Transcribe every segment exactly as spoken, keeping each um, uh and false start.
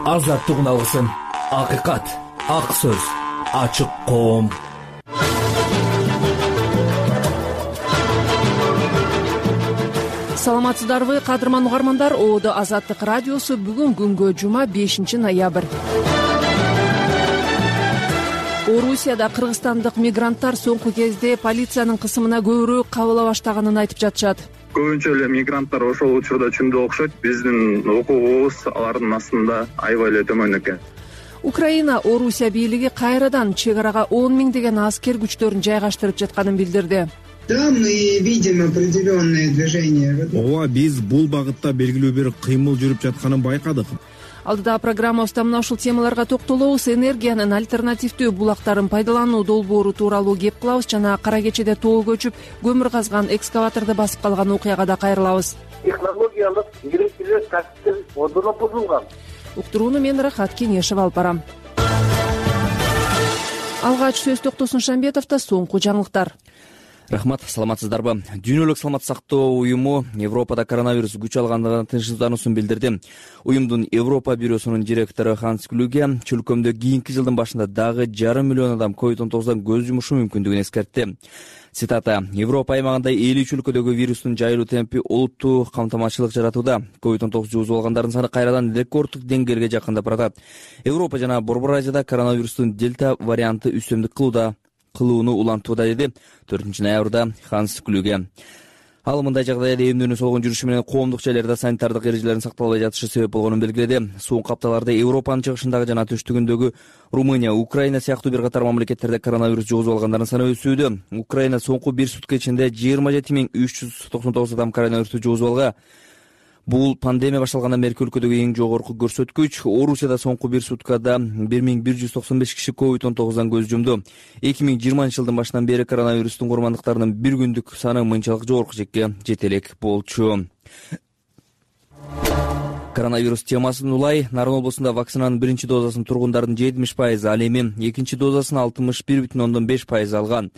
азаттык үналгысын, акыйкат, ак сөз, ачык коом. Саламатсыздарбы, кадырман угармандар. Оодо Азаттык радиосу бүгүн күнгө жума бешинчи ноябрь. Орусияда кыргызстандык мигранттар соңку кезде полициянын кысымына көбүрөөк кабыла баштаганын айтып жатышат. Көбүнчө эле мигранттар ошол учурда чүндө окшойт. Биздин укугубуз алардын астында аябай эле төмөн экен. Украина Орусия бийлиги кайрадан чек арага он миңдеген аскер күчтөрүн жайгаштырып жатканын билдирди. Да, мы видим определенное движение. Ооба, биз бул багытта белгилүү бир кыймыл жүрүп жатканын байкадык. Алдыда программабызда мына ушул темаларга токтолобуз. Энергиянын альтернативдүү булактарын пайдалануу долбоору тууралуу кеп кылабыз жана кара кечеде тоо көчүп көмүр казган экскаваторду басып калган окуяга да кайрылабыз. Технологиялык ерекшелер касиптер ордуна бузулган. Уктурууну мен Рахат Кеңешев алып барам. Алгач сөз Токтосун Шамбетовдо соңку жаңылыктар. Рахмат, саламатсыздарбы? Дүйнөлүк саламаттык сактоо уюму Европада коронавирус күч алгандыгын тынчсыздануусун билдирди. Уюмдун Европа бюросунун директору Ханс Клюге чөлкөмдө кийинки жылдын башында дагы жарым миллион адам ковид он тогуздан көз жумушу мүмкүндүгүн эскертти. Цитата: Европа аймагында элүү өлкөдөгү вирустун жайылуу темпи олуттуу камтамашчылык жаратууда. ковид он тогуз жугузуп алгандардын саны кайрадан рекорддук деңгээлге жакындап баратат. Европа жана Борбор Азияда коронавирустун дельта варианты үстөмдүк кылууда кылууну улантууда, деди төртүнчү ноябрда Ханс Клюге. Ал мындай жагдайда эмнөнү солгон жүрүшү менен коомдук жайларда санитардык эрежелердин сакталбай жатышы себеп болгонун белгиледи. Суун капталарда Европанын чыгышындагы жана түштүгүндөгү Румыния, Украина сыяктуу бир катар мамлекеттерде коронавирус жугузуп алгандардын саны өсүүдө. Украина соңку бир сутка ичинде жыйырма жети миң үч жүз токсон тогуз адам коронавирусту жугузуп алган. Бул пандемия башталгандан берки өлкөдөгү эң жогорку көрсөткүч. Орусияда соңку бир суткада бир миң бир жүз токсон беш киши ковид он тогуздан көз жумду. эки миң жыйырманчы жылдын башынан бери коронавирустун курмандыктарынын бир күндүк саны мынчалык жогорку чекке жете элек болчу. Коронавирус темасын улай, Нарын облусунда вакцинанын биринчи дозасын тургундардын жетимиш пайызы, ал эми экинчи дозасын алтымыш бир бүтүн ондон беш пайыз алган.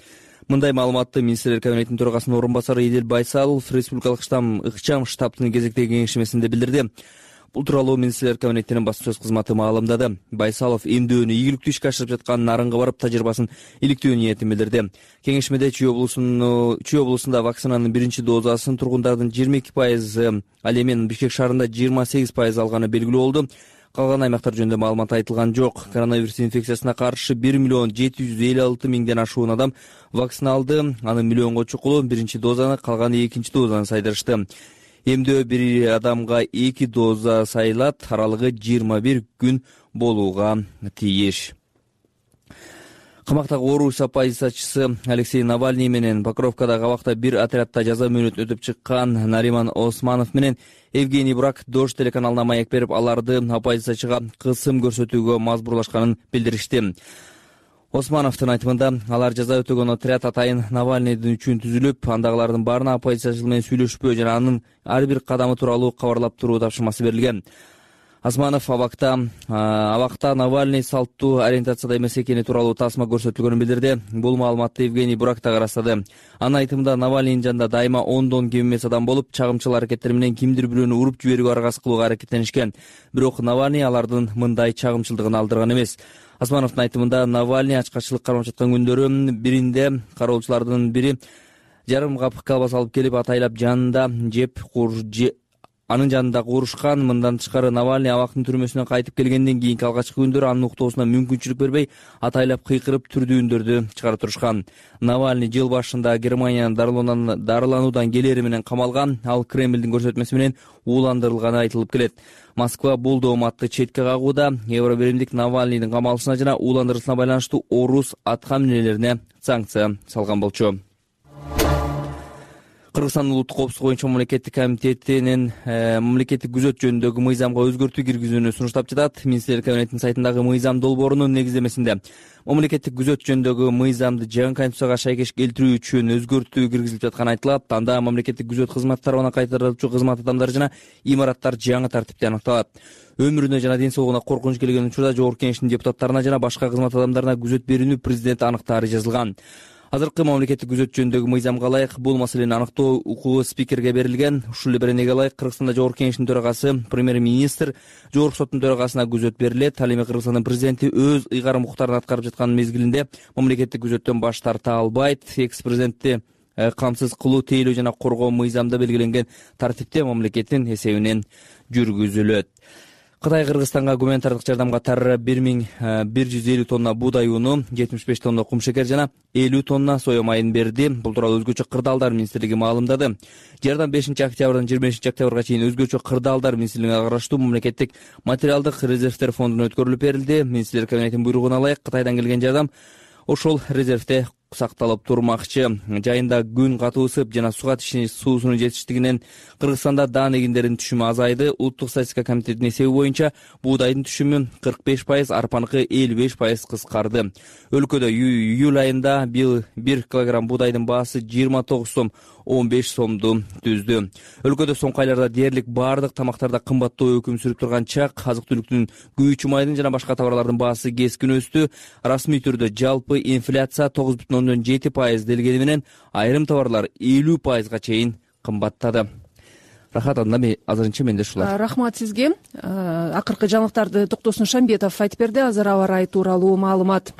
Мындай маалыматты Министрлер кабинетинин төрагасынын орун басары Идил Байсалов республикалык штам ыкчам штабтын кезектеги кеңешмесинде билдирди. Бул тууралуу Министрлер кабинетинин басма сөз кызматы маалымдады. Байсалов эмдөөнү ийгиликтүү ишке ашырып жаткан Нарынга барып тажрыйбасын иликтөө ниетин билдирди. Кеңешмеде Чүй облусунун Чүй облусунда вакцинанын биринчи дозасын тургундардын жыйырма эки пайызы, ал эми Бишкек шаарында жыйырма сегиз пайыз алганы белгилүү болду. Калган аймактар жөнүндө маалымат айтылган жок. Коронавирус инфекциясына каршы бир миллион жети жүз элүү алты миңден ашуун адам вакцина алды. Анын миллионго чукулу биринчи дозаны, калганы экинчи дозаны сайдырышты. Эмдөө бир адамга эки доза сайылат, аралыгы жыйырма бир күн болууга тийиш. Камактагы Орус оппозициячысы Алексей Навальный менен Покровкадагы абакта бир отрядда жаза мөөнөтүн өтүп чыккан Нариман Османов менен Евгений Брак Дождь телеканалына маек берип, аларды оппозициячыга кысым көрсөтүүгө мажбурлашканын билдиришти. Османовдун айтымында, алар жаза өтөгөн отряд атайын Навальныйдын үчүн түзүлүп, андагылардын баарына оппозициячыл менен сүйлөшпөө жана анын ар бир кадамы тууралуу кабарлап туруу тапшырмасы берилген. Османов абакта абакта Навальный салттуу ориентацияда эмес экени тууралуу тасма көрсөтүлгөнүн билдирди. Бул маалыматты Евгений Брак да ырастады. Анын айтымында, Навальныйдын жанында дайыма ондон кем эмес адам болуп, чагымчыл аракеттер менен кимдир бирөөнү уруп жиберүүгө аргасыз кылууга аракеттенишкен. Бирок Навальный алардын мындай чагымчылдыгын алдырган эмес. Османовдун айтымында, Навальный ачкачылык кармап жаткан күндөрү биринде кароолчулардын бири жарым кап колбаса алып келип, атайлап жанында жеп кур анын жанында курушкан. Мындан тышкары Навальный абактын түрмөсүнөн кайтып келгенден кийинки алгачкы күндөрү анын уктоосуна мүмкүнчүлүк бербей, атайлап кыйкырып түрдүү үндөрдү чыгарып турушкан. Навальный жыл башында Германиянын дарылануудан келери менен камалган. Ал Кремлдин көрсөтмөсү менен ууландырылганы айтылып келет. Москва бул дооматты четке кагууда. Евробиримдик Навальныйдын камалышына жана ууландырылышына байланыштуу Орус атка минелерине санкция салган болчу. Кыргызстандын улуттук коопсуздук боюнча мамлекеттик комитетинин мамлекеттик күзөт жөнүндөгү мыйзамга өзгөртүү киргизүүнү сунуштап жатат. Министрлер кабинетинин сайтындагы мыйзам долбоорунун негиздемесинде мамлекеттик күзөт жөнүндөгү мыйзамды жаңы конституцияга шайкеш келтирүү үчүн өзгөртүү киргизилип жатканы айтылат. Анда мамлекеттик күзөт кызмат тарабынан кайтарылчу кызмат адамдары жана имараттар жаңы тартипте аныкталат. Өмүрүнө жана ден соолугуна коркунуч келген учурда Жогорку Кеңештин депутаттарына жана башка кызмат адамдарына күзөт берүүнү президент аныктаары жазылган. Азыркы мамлекеттик күзөт жөнүндөгү мыйзамга ылайык бул маселени аныктоо укугу спикерге берилген. Ушул эле беренеге ылайык Кыргызстанда Жогорку Кеңештин төрагасы, премьер-министр, Жогорку соттун төрагасына күзөт берилет. Ал эми Кыргызстандын президенти өз ыйгарым укуктарын аткарып жаткан мезгилинде мамлекеттик күзөттөн баш тарта албайт. Экс-президентти камсыз кылуу, тейлөө жана коргоо мыйзамда белгиленген тартипте мамлекеттин эсебинен жүргүзүлөт. Кытай Кыргызстанга гуманитардык жардамга катары бир миң бир жүз элүү тонна буудай уну, жетимиш беш тонна кумшекер жана элүү тонна соя майын берди. Бул тууралуу Өзгөчө кырдаалдар министрлиги маалымдады. Жардам бешинчи октябрдан жыйырма бешинчи октябрга чейин Өзгөчө кырдаалдар министрлигине караштуу мамлекеттик материалдык резервтер фондуна өткөрүлүп берилди. Министрлер кабинетинин буйругуна ылайык Кытайдан келген жардам ошол резервте сакталып турмакчы. Жайында күн катуу ысып жана суга суусунун жетиштигинен Кыргызстанда даан эгиндеринин түшүмү азайды. Улуттук статистика комитетинин эсеби боюнча буудайдын түшүмү кырк беш пайыз, арпаныкы элүү беш пайыз кыскарды. Өлкөдө июль айында бир килограмм буудайдын баасы жыйырма тогуз сом он беш сомду түздү. Өлкөдө соңку айларда дээрлик баардык тамактарда кымбаттоо өкүм сүрүп турган чак, азык-түлүктүн, күйүүчү майдын жана башка товарлардын баасы кескин өстү. Расмий түрдө жалпы инфляция тогуз бүтүн ондон жети пайыз делгени менен айрым товарлар элүү пайызга чейин кымбаттады. Рахат анда азырынча менде ушулар. Рахмат сизге. Акыркы жаңылыктарды Токтосун Шамбетов айтып берди. Азыр аба ырайы тууралуу маалымат.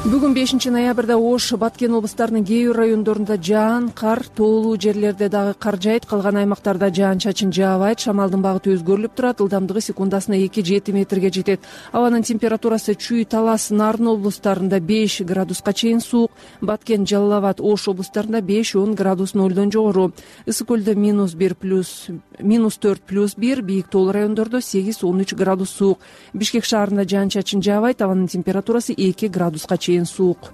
Бүгүн бешинчи ноябрда Ош, Баткен облустарынын кээ бир райондорунда жаан, кар, тоолуу жерлерде дагы кар жаайт, калган аймактарда жаан-чачын жаабайт. Шамалдын багыты өзгөрүлүп турат, ылдамдыгы секундасына эки жети метрге жетет. Абанын температурасы Чүй, Талас, Нарын облустарында беш градуска чейин суук, Баткен, Жалал Абад, Ош облустарында беш он градус нолдон жогору. Ысык көлдө минус бир плюс минус төрт плюс бир, бийик тоолуу райондордо сегиз он үч градус суук. Бишкек шаарында жаан-чачын жаабайт, абанын температурасы эки градуска чейин суук.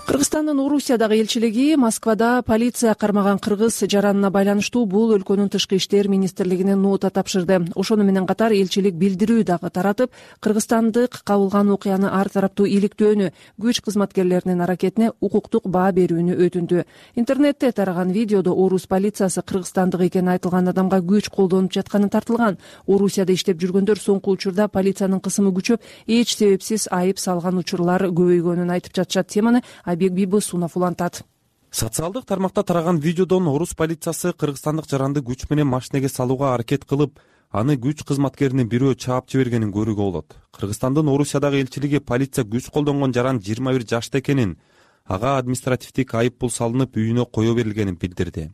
Кыргызстандын Орусиядагы элчилиги Москвада полиция кармаган кыргыз жаранына байланыштуу бул өлкөнүн тышкы иштер министрлигине нота тапшырды. Ошону менен катар элчилик билдирүү дагы таратып, кыргызстандык кабылган окуяны ар тараптуу иликтөөнү, күч кызматкерлеринин аракетине укуктук баа берүүнү өтүндү. Интернетте тараган видеодо Орус полициясы кыргызстандык экени айтылган адамга күч колдонуп жатканы тартылган. Орусияда иштеп жүргөндөр соңку учурда полициянын кысымы күчөп, эч себепсиз айып салган учурлар көбөйгөнүн айтып жатышат. Теманы Бибу Сунов улантат. Социалдык тармакта тараган видеодон Орус полициясы кыргызстандык жаранды күч менен машинеге салууга аракет кылып, аны күч кызматкеринин бирөө чаап жибергенин көрүүгө болот. Кыргызстандын Орусиядагы элчилиги полиция күч колдонгон жаран жыйырма бир жашта экенин, ага административдик айып пул салынып, үйүнө кое берилгенин билдирди.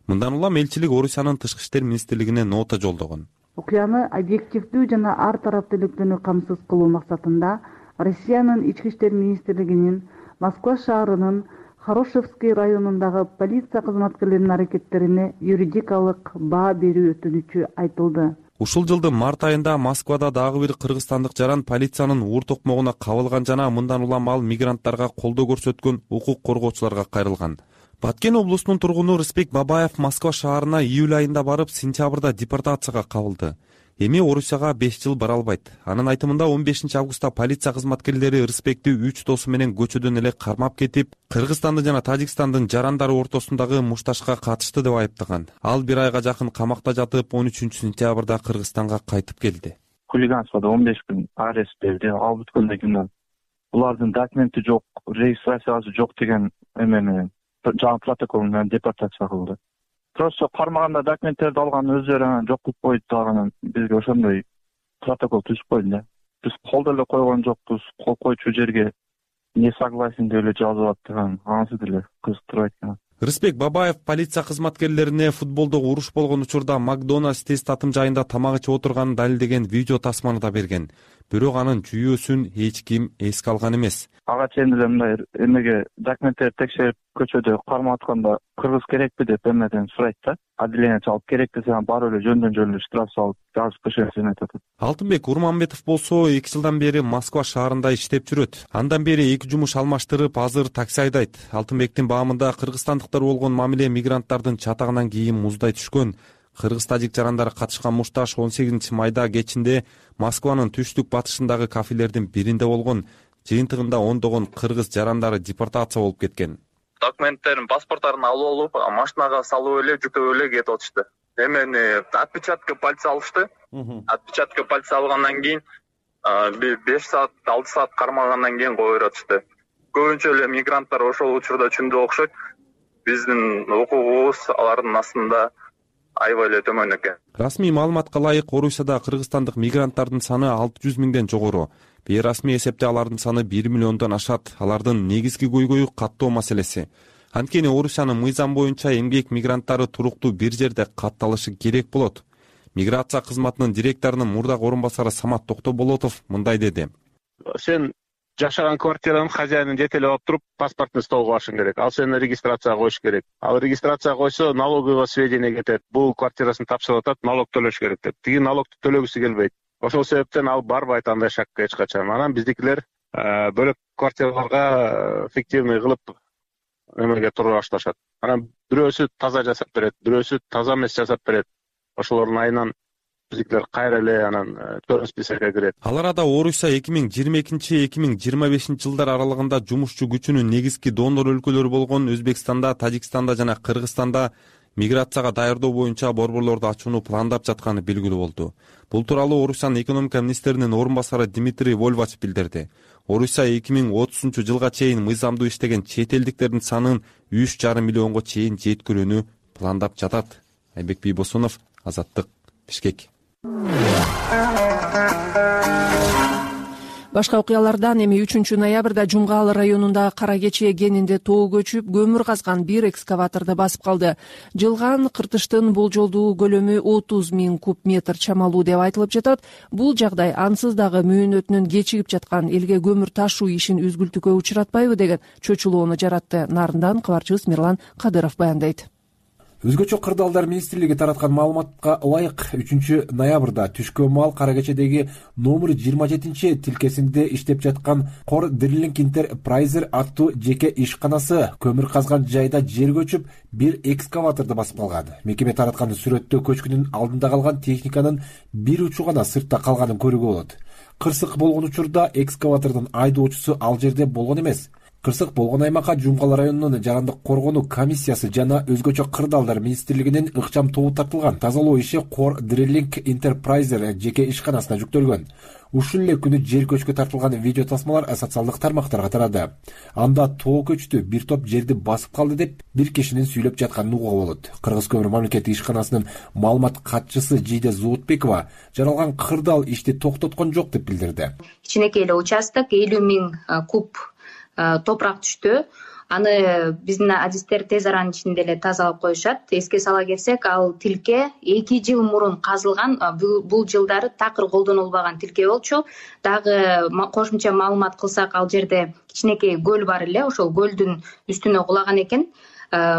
Мындан улам элчилик Орусиянын тышкы иштер министрлигине нота жолдогон. Окуяны объективдүү жана ар тараптуулукту камсыз кылуу максатында Россиянын ички иштер министрлигинин Москва шаарынын Хорошевский районундагы полиция кызматкерлеринин аракеттерине юридикалык баа берүү өтүнүчү айтылды. Ушул жылдын март айында Москвада дагы бир кыргызстандык жаран полициянын уур токмогуна кабылган жана мындан улам ал мигранттарга колдоо көрсөткөн укук коргоочуларга кайрылган. Баткен облусунун тургуну Рыспек Бабаев Москва шаарына июль айында барып, сентябрда депортацияга кабылды. Эми Орусияга беш жыл бара албайт. Анын айтымында он бешинчи августта полиция кызматкерлери Рыспекти үч досу менен көчөдөн эле кармап кетип, Кыргызстандын жана Тажикстандын жарандары ортосундагы мушташка катышты деп айыптаган. Ал бир айга жакын камакта жатып, он үчүнчү сентябрда Кыргызстанга кайтып келди. Хулиганствода он беш күн арест берди, ал бүткөндөн кийин булардын документи жок, регистрациясы жок деген эмени жаңы протокол менен депортация кылды. Просто кармаганда документтерди алган өздөрү жок кылып койду дагы бизге ошондой протокол түзүп койду да. Биз кол деле койгон жокпуз, кол койчу жерге не согласен деп эле жазып аттыган, анысы деле кызыктырбайт экен. Рыспек Бабаев полиция кызматкерлерине футболдо уруш болгон учурда Макдональдс тест татым жайында тамак ичип отурганын далилдеген видео тасманы да берген. Бирок анын жүйөөсүн эч ким эске алган эмес. Ага чейин эле мындай эмеге документтерди текшерип көчөдө кармап атканда кыргыз керекпи деп эмеден сурайт да. Отделение чалып керек десе барып эле жөндөн жөн штраф салып жазып кышын айтат. Алтынбек Урманбетов болсо эки жылдан бери Москва шаарында иштеп жүрөт. Андан бери эки жумуш алмаштырып, азыр такси айдайт. Алтынбектин баамында кыргызстандыктар болгон мамиле мигранттардын чатагынан кийин муздай түшкөн. Кыргыз-тажик жарандары катышкан мушташ он сегизинчи майда кечинде Москванын түштүк батышындагы кафелердин биринде болгон. Жыйынтыгында ондогон кыргыз жарандары депортация болуп кеткен. Документтерин, паспорттарын алып алып, машинага салып эле, жүктөп эле кетип атышты. Эмени отпечатка пальца алышты. Отпечатка пальца алгандан кийин беш саат алты саат кармагандан кийин кое беришти. Көбүнчө эле мигранттар ошол учурда түндө окшойт. Биздин укугубуз алардын астында аябай эле төмөн экен. Расмий маалыматка ылайык Орусияда кыргызстандык мигранттардын саны алты жүз миңден жогору. Бейрасмий эсепте алардын саны бир миллиондон ашат. Алардын негизги көйгөйү каттоо маселеси. Анткени Орусиянын мыйзам боюнча эмгек мигранттары туруктуу бир жерде катталышы керек болот. Миграция кызматынын директорунун мурдагы орун басары Самат Токтоболотов мындай деди. Сен жашаган квартиранын хозяинын жетелеп алып туруп паспортный столго башың керек. Ал сени регистрацияга коюш керек. Ал регистрацияга койсо налоговый сведения кетет. Бул квартирасын тапшырып атат, налог төлөш керек деп. Тиги налогду төлөгүсү келбейт. Ошол себептен ал барбайт андай шакка эч качан. Анан биздикилер бөлөк квартираларга фиктивный кылып эмеге туруп башташат. Анан бирөөсү таза жасап берет, бирөөсү таза эмес жасап берет. Ошолордун айынан биздикилер кайра эле анан төрө списокко кирет. Ал арада Орусия эки миң жыйырма экинчи эки миң жыйырма бешинчи жылдар аралыгында жумушчу күчүнүн негизги донор өлкөлөрү болгон Өзбекстанда, Тажикстанда жана Кыргызстанда миграцияга даярдоо боюнча борборлорду ачууну пландап жатканы белгилүү болду. Бул тууралуу Орусиянын экономика министринин орун басары Дмитрий Вольвач билдирди. Орусия эки миң отузунчу жылга чейин мыйзамдуу иштеген чет элдиктердин санын үч жарым миллионго чейин жеткирүүнү пландап жатат. Айбек Бийбосунов, Азаттык, Бишкек. Башка окуялардан эми үчүнчү ноябрда Жумгал районундагы Кара Кече кенинде тоо көчүп, көмүр казган бир экскаваторду басып калды. Жылган кыртыштын болжолдуу көлөмү отуз миң куб метр чамалуу деп айтылып жатат. Бул жагдай ансыз дагы мөөнөтүнөн кечигип жаткан элге көмүр ташуу ишин үзгүлтүүгө учуратпайбы деген чочулоону жаратты. Нарындан кабарчыбыз Мирлан Кадыров баяндайт. Өзгөчө кырдаалдар министрлиги тараткан маалыматка ылайык үчүнчү ноябрда түшкө маал Кара Кечедеги номер жыйырма жетинчи тилкесинде иштеп жаткан Core Drilling Enterprises аттуу жеке ишканасы көмүр казган жайда жер көчүп, бир экскаваторду басып калган. Мекеме тараткан сүрөттө көчкүнүн алдында калган техниканын бир учу гана сыртта калганын көрүүгө болот. Кырсык болгон учурда экскаватордун айдоочусу ал жерде болгон эмес. Кырсык болгон аймакка Жумгал районунун жарандык коргонуу комиссиясы жана өзгөчө кырдаалдар министрлигинин ыкчам тобу тартылган. Тазалоо иши Core Drilling Enterprises жеке ишканасына жүктөлгөн. Ушул эле күнү жер көчкө тартылган видео тасмалар социалдык тармактарга тарады. Анда тоо көчтү, бир топ жерди басып калды деп бир кишинин сүйлөп жатканын угууга болот. Кыргыз көмүр мамлекеттик ишканасынын маалымат катчысы Жиде Зоотбекова жаралган кырдаал ишти токтоткон жок деп билдирди. Кичинекей эле участок элүү миң куб топурак түштү. Аны биздин адистер тез аранын ичинде эле тазалап коюшат. Эске сала кетсек, ал тилке эки жыл мурун казылган, бул жылдары такыр колдонулбаган тилке болчу. Дагы кошумча маалымат кылсак, ал жерде кичинекей көл бар эле, ошол көлдүн үстүнө кулаган экен.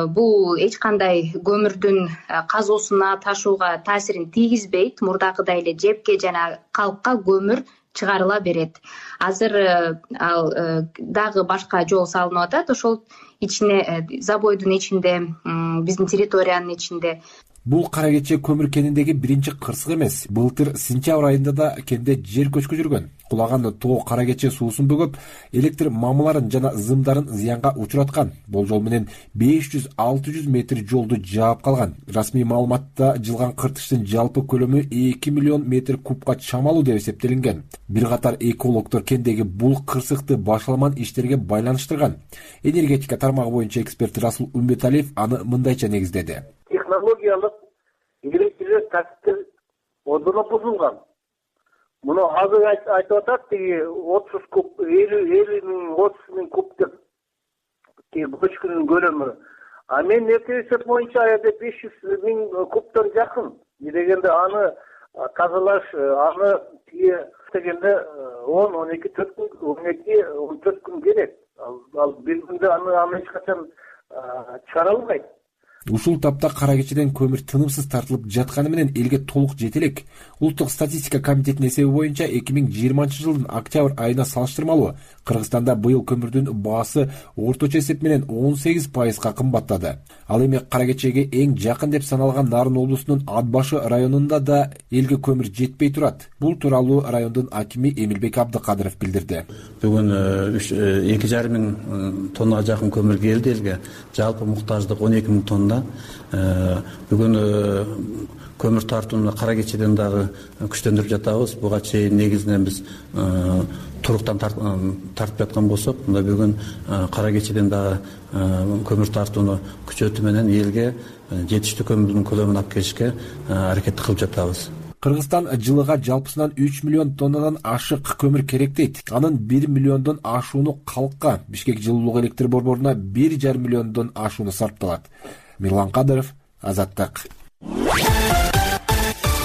Бул эч кандай көмүрдүн казуусуна, ташууга таасирин тийгизбейт. Мурдакыдай эле жепке жана калкка көмүр чыгарыла берет. Азыр ал дагы башка жол салынып атат. Ошол ичине, забойдун ичинде, биздин территориянын ичинде. Бул Кара Кече көмүр кениндеги биринчи кырсык эмес. Былтыр сентябрь айында да кенде жер көчкү жүргөн. Кулаган тоо Кара Кече суусун бөгөп, электр мамыларын жана зымдарын зыянга учураткан. Болжол менен беш жүз алты жүз метр жолду жаап калган. Расмий маалыматта жылган кыртыштын жалпы көлөмү эки миллион метр кубка чамалуу деп эсептелинген. Бир катар экологдор кендеги бул кырсыкты башаламан иштерге байланыштырган. Энергетика тармагы боюнча эксперт Расул Умбеталиев аны мындайча негиздеди. Технологиялык электр касиптер одоно бузулган. Муну азыр айтып атат, тиги отуз куб, элүү миң, отуз миң куб деп тиги көчкүнүн көлөмү. А мен эсеп боюнча аябай беш жүз миң кубтан жакын. Дегенде аны тазалаш, аны тиги дегенде он, он эки, он эки, он төрт күн керек. Ал бир күндө аны аны эч качан чыгара албайт. Ушул тапта Кара Кечеден көмүр тынымсыз тартылып жатканы менен элге толук жете элек. Улуттук статистика комитетинин эсеби боюнча эки миң жыйырманчы жылдын октябрь айына салыштырмалуу Кыргызстанда быйыл көмүрдүн баасы орточо эсеп менен он сегиз пайызга кымбаттады. Ал эми Кара Кечеге эң жакын деп саналган Нарын облусунун Атбашы районунда да элге көмүр жетпей турат. Бул тууралуу райондун акими Эмилбек Абдыкадыров билдирди. Бүгүн эки жарым миң тоннага жакын көмүр келди элге. Жалпы муктаждык он эки миң тонна. учурунда бүгүн көмүр тартууну Кара Кечеден дагы күчтөндүрүп жатабыз. Буга чейин негизинен биз туруктан тартып жаткан болсок, мында бүгүн Кара Кечеден дагы көмүр тартууну күчөтүү менен элге жетиштүү көмүрдүн көлөмүн алып келишке аракет кылып жатабыз. Кыргызстан жылыга жалпысынан үч миллион тоннадан ашык көмүр керек дейт. Анын бир миллиондон ашууну калкка, Бишкек жылуулук электр борборуна бир жарым миллиондон ашууну сарпталат. Мирлан Кадыров, Азаттык.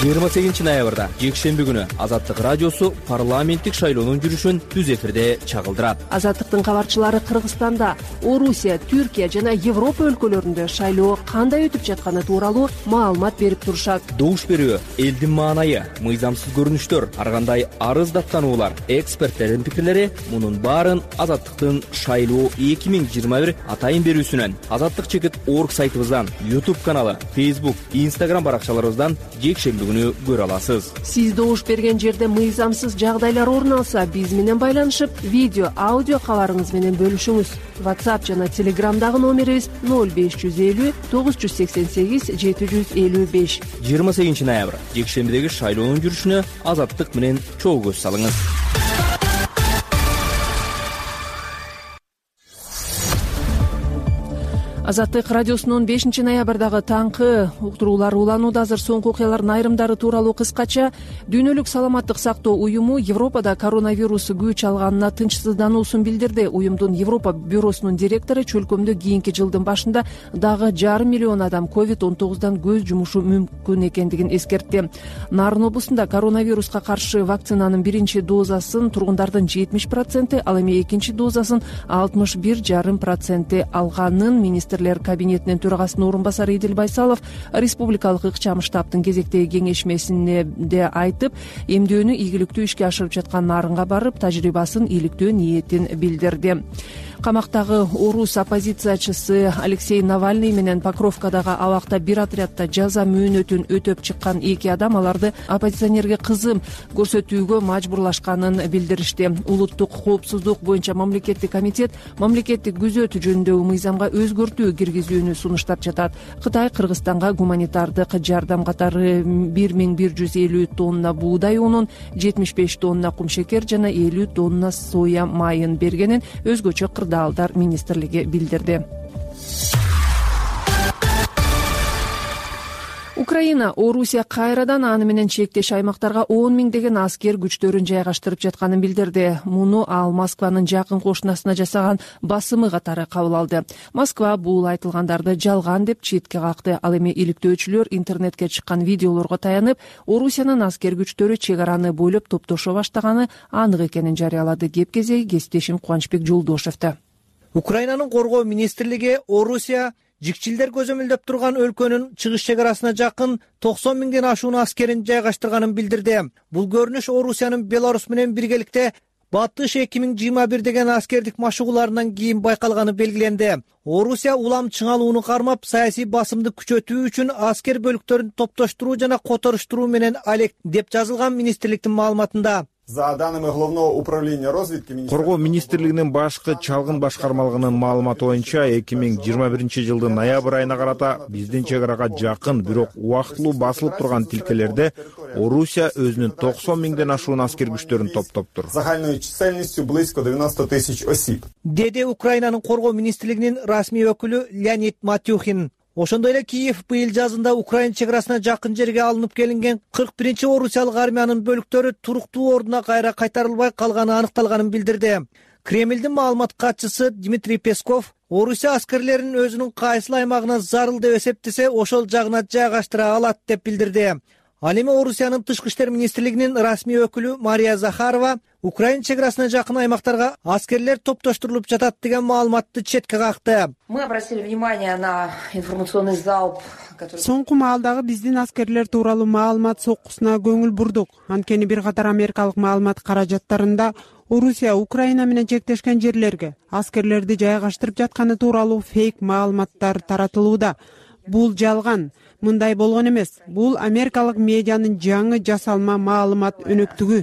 жыйырма сегизинчи ноябрда жекшемби күнү Азаттык радиосу парламенттик шайлоонун жүрүшүн түз эфирде чагылдырат. Азаттыктын кабарчылары Кыргызстанда, Орусия, Түркия жана Европа өлкөлөрүндө шайлоо кандай өтүп жатканы тууралуу маалымат берип турушат. Добуш берүү, элдин маанайы, мыйзамсыз көрүнүштөр, ар кандай арыз даттануулар, эксперттердин пикирлери — мунун баарын Азаттыктын шайлоо эки миң жыйырма бир атайын берүүсүнөн, Азаттык чекит орг сайтыбыздан, YouTube каналы, Facebook, Instagram баракчаларыбыздан жекшемби күнү көрө аласыз. Сиз добуш берген жерде мыйзамсыз жагдайлар орун алса, биз менен байланышып, видео, аудио кабарыңыз менен бөлүшүңүз. WhatsApp жана Telegramдагы номерибиз ноль беш жүз элүү тогуз жүз сексен сегиз жети жүз элүү беш. жыйырма сегизинчи ноябрь жекшембидеги шайлоонун жүрүшүнө Азаттык менен чогуу көз салыңыз. Азаттык радиосунун бешинчи ноябрдагы таңкы уктуруулар уланууда. Азыр соңку окуялардын айрымдары тууралуу кыскача. Дүйнөлүк саламаттык сактоо уюму Европада коронавирус күч алганына тынчсыздануусун билдирди. Уюмдун Европа бюросунун директору чөлкөмдө кийинки жылдын башында дагы жарым миллион адам ковид он тогуздан көз жумушу мүмкүн экендигин эскертти. Нарын облусунда коронавируска каршы вакцинанын биринчи дозасын тургундардын жетимиш проценти, ал эми экинчи дозасын алтымыш бир жарым проценти алганын министр кабинетинин төрагасынын орун басары Идил Байсалов республикалык ыкчам штабтын кезектеги кеңешмесинде айтып, эмдөөнү ийгиликтүү ишке ашырып жаткан Нарынга барып, тажрыйбасын иликтөө ниетин билдирди. Камактагы орус оппозициячысы Алексей Навальный менен Покровкадагы абакта бир отрядда жаза мөөнөтүн өтөп чыккан эки адам аларды оппозиционерге кызым көрсөтүүгө мажбурлашканын билдиришти. Улуттук коопсуздук боюнча мамлекеттик комитет мамлекеттик күзөт жөнүндөгү мыйзамга өзгөртүү киргизүүнү сунуштап жатат. Кытай Кыргызстанга гуманитардык жардам катары бир миң бир жүз элүү тонна буудай унун, жетимиш беш тонна кумшекер жана элүү тонна соя майын бергенин өзгөчө кырдаалдар министрлиги билдирди. Украина Орусия кайрадан аны менен чектеш аймактарга он миңдеген аскер күчтөрүн жайгаштырып жатканын билдирди. Муну ал Москванын жакын кошунасына жасаган басымы катары кабыл алды. Москва бул айтылгандарды жалган деп четке какты. Ал эми иликтөөчүлөр интернетке чыккан видеолорго таянып, Орусиянын аскер күчтөрү чек араны бойлоп топтошо баштаганы анык экенин жарыялады. Кеп кезеги кесиптешим Кубанычбек Жолдошевду. Украинанын коргоо министрлиги Орусия жикчилдер көзөмөлдөп турган өлкөнүн чыгыш чек арасына жакын токсон миңден ашуун аскерин жайгаштырганын билдирди. Бул көрүнүш Орусиянын Беларусь менен биргеликте Батыш эки миң жыйырма бир деген аскердик машыгууларынан кийин байкалганы белгиленди. Орусия улам чыңалууну кармап, саясий басымды күчөтүү үчүн аскер бөлүктөрүн топтоштуруу жана которуштуруу менен алек деп жазылган министрликтин маалыматында. За данными Главного управления разведки Коргоо министрлигинин башкы чалгын башкармалыгынын маалыматы боюнча эки миң жыйырма биринчи жылдын ноябрь айына карата биздин чек арага жакын, бирок убактылуу басылып турган тилкелерде Орусия өзүнүн токсон миңден ашуун аскер күчтөрүн топтоптур. Загальной численностью близко девяносто тысяч осиб. Деди Украинанын коргоо министрлигинин расмий өкүлү Леонид Матюхин. Ошондой эле Киев быйыл жазында Украина чек арасына жакын жерге алынып келинген кырк биринчи орусиялык армиянын бөлүктөрү туруктуу ордуна кайра кайтарылбай калганы аныкталганын билдирди. Кремлдин маалымат катчысы Дмитрий Песков Орусия аскерлерин өзүнүн кайсыл аймагына зарыл деп эсептесе, ошол жагына жайгаштыра алат деп билдирди. Ал эми Орусиянын тышкы иштер министрлигинин расмий өкүлү Мария Захарова Украина чек арасына жакын аймактарга аскерлер топтоштурулуп жатат деген маалыматты четке какты. Мы обратили внимание на информационный залп. Соңку маалдагы биздин аскерлер тууралуу маалымат соккусуна көңүл бурдук. Анткени бир катар америкалык маалымат каражаттарында Орусия Украина менен чектешкен жерлерге аскерлерди жайгаштырып жатканы тууралуу фейк маалыматтар таратылууда. Бул жалган. Мындай болгон эмес. Бул америкалык медианын жаңы жасалма маалымат өнөктүгү.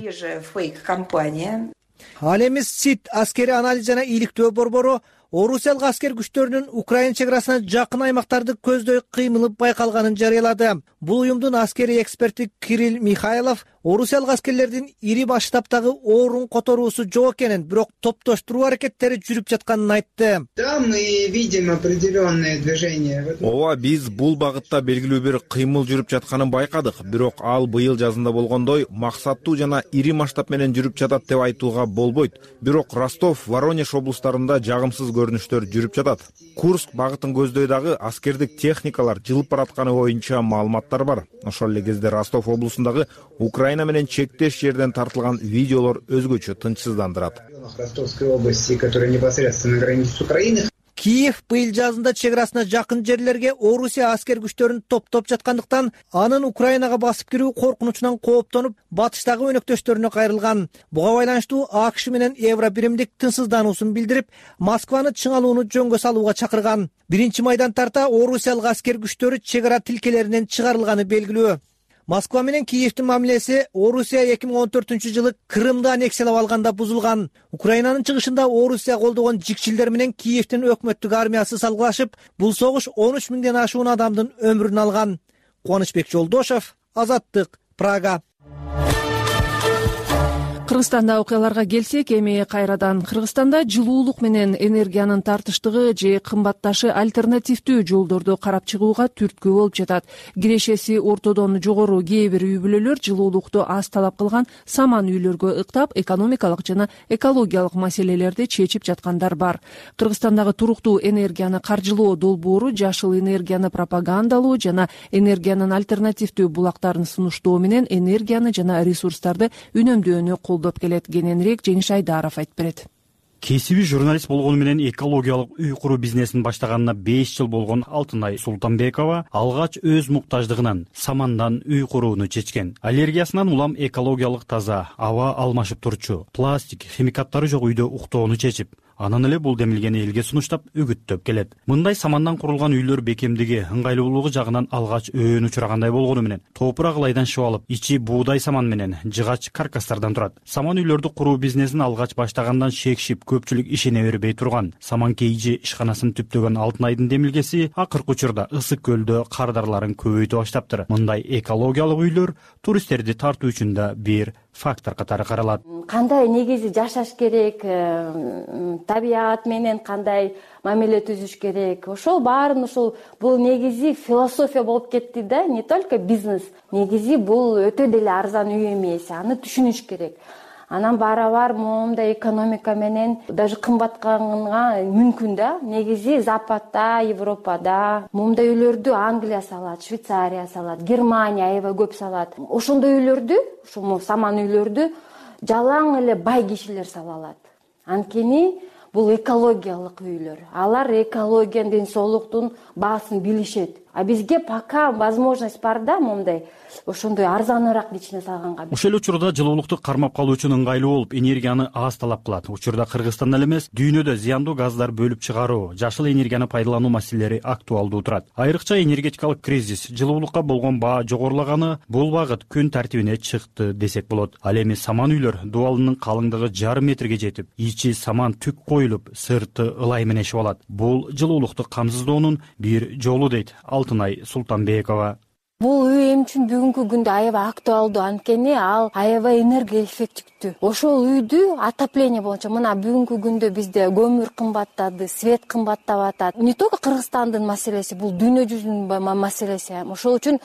Ал эми СИД аскери анализ жана иликтөө борбору орусиялык аскер күчтөрүнүн Украина чек арасына жакын аймактарды көздөй кыймылы байкалганын жарыялады. Бул уюмдун аскери эксперти Кирилл Михайлов орусиялык аскерлердин ири масштабтагы орун которуусу жок экенин, бирок топтоштуруу аракеттери жүрүп жатканын айтты. Да, мы видим определенное движение. Ооба, биз бул багытта белгилүү бир кыймыл жүрүп жатканын байкадык, бирок ал быйыл жазында болгондой максаттуу жана ири масштаб менен жүрүп жатат деп айтууга болбойт. Бирок Ростов, Воронеж облустарында жагымсыз көрүнүштөр жүрүп жатат. Курск багытын көздөй дагы аскердик техникалар жылып баратканы боюнча маалыматтар бар. Ошол эле кезде Ростов облусундагы Украина менен чектеш жерден тартылган видеолор өзгөчө тынчсыздандырат. Ростовской области, которая непосредственно граничит с Украиной. Киев быйыл жазында чек арасына жакын жерлерге Орусия аскер күчтөрүн топтоп жаткандыктан анын Украинага басып кирүү коркунучунан кооптонуп, батыштагы өнөктөштөрүнө кайрылган. Буга байланыштуу АКШ менен Евробиримдик тынчсыздануусун билдирип, Москваны чыңалууну жөнгө салууга чакырган. Биринчи майдан тарта орусиялык аскер күчтөрү чек ара тилкелеринен чыгарылганы белгилүү. Москва менен Киевдин мамилеси Орусия эки миң он төртүнчү жылы Крымды аннексиялап алганда бузулган. Украинанын чыгышында Орусия колдогон жикчилдер менен Киевдин өкмөттүк армиясы салгылашып, бул согуш он үч миңден ашуун адамдын өмүрүн алган. Кубанычбек Жолдошев, Азаттык, Прага. Кыргызстанда окуяларга келсек, эми кайрадан Кыргызстанда жылуулук менен энергиянын тартыштыгы же кымбатташы альтернативдүү жолдорду карап чыгууга түрткү болуп жатат. Кирешеси ортодон жогору кээ бир үй бүлөлөр жылуулукту аз талап кылган саман үйлөргө ыктап, экономикалык жана экологиялык маселелерди чечип жаткандар бар. Кыргызстандагы туруктуу энергияны каржылоо долбоору жашыл энергияны пропагандалоо жана энергиянын альтернативдүү булактарын сунуштоо менен энергияны жана ресурстарды үнөмдөөнү колдоп келет. Кененирээк Жеңиш Айдаров айтып берет. Кесиби журналист болгону менен экологиялык үй куруу бизнесин баштаганына беш жыл болгон Алтынай Султанбекова алгач өз муктаждыгынан самандан үй курууну чечкен. Аллергиясынан улам экологиялык таза, аба алмашып турчу, пластик, химикаттары жок үйдө уктоону чечип, анан эле бул демилгени элге сунуштап үгүттөп келет. Мындай самандан курулган үйлөр бекемдиги, ыңгайлуулугу жагынан алгач өөн учурагандай болгону менен топурак ылайдан шып алып, ичи буудай саман менен жыгач каркастардан турат. Саман үйлөрдү куруу бизнесин алгач баштагандан шекшип, көпчүлүк ишене бербей турган саман кейжи ишканасын түптөгөн Алтынайдын демилгеси акыркы учурда Ысык көлдө кардарларын көбөйтө баштаптыр. Мындай экологиялык үйлөр туристтерди тартуу үчүн да бир фактор катары каралат. Кандай негизи жашаш керек, табият менен кандай мамиле түзүш керек. Ошол баарын ошол бул негизи философия болуп кетти да, не только бизнес. Негизи бул өтө деле арзан үй эмес, аны түшүнүш керек. Анан барабар моундай экономика менен даже кымбатканга мүмкүн да. Негизи Западта, Европада моундай үйлөрдү Англия салат, Швейцария салат, Германия аябай көп салат. Ошондой үйлөрдү, ушул саман үйлөрдү жалаң эле бай кишилер сала алат. Анткени бул экологиялык үйлөр. Алар экологиянын, ден соолуктун баасын билишет. А бизге пока возможность бар да моундай ошондой арзаныраак ичине салганга. Ошол учурда жылуулукту кармап калуу үчүн ыңгайлуу болуп, энергияны аз талап кылат. Учурда Кыргызстанда эле эмес, дүйнөдө зыяндуу газдар бөлүп чыгаруу, жашыл энергияны пайдалануу маселелери актуалдуу турат. Айрыкча энергетикалык кризис, жылуулукка болгон баа жогорулаганы бул багыт күн тартибине чыкты десек болот. Ал эми саман үйлөр дубалынын калыңдыгы жарым метрге жетип, ичи саман түк коюлуп, сырты ылай менен ишип алат. Бул жылуулукту камсыздоонун бир жолу дейт Алтынай Султанбекова. Бул үй эми үчүн бүгүнкү күндө аябай актуалдуу, анткени ал аябай энергия эффективдүү. Ошол үйдү отопление боюнча мына бүгүнкү күндө бизде көмүр кымбаттады, свет кымбаттап атат. Не только Кыргызстандын маселеси, бул дүйнө жүзүнүн маселеси. Ошол үчүн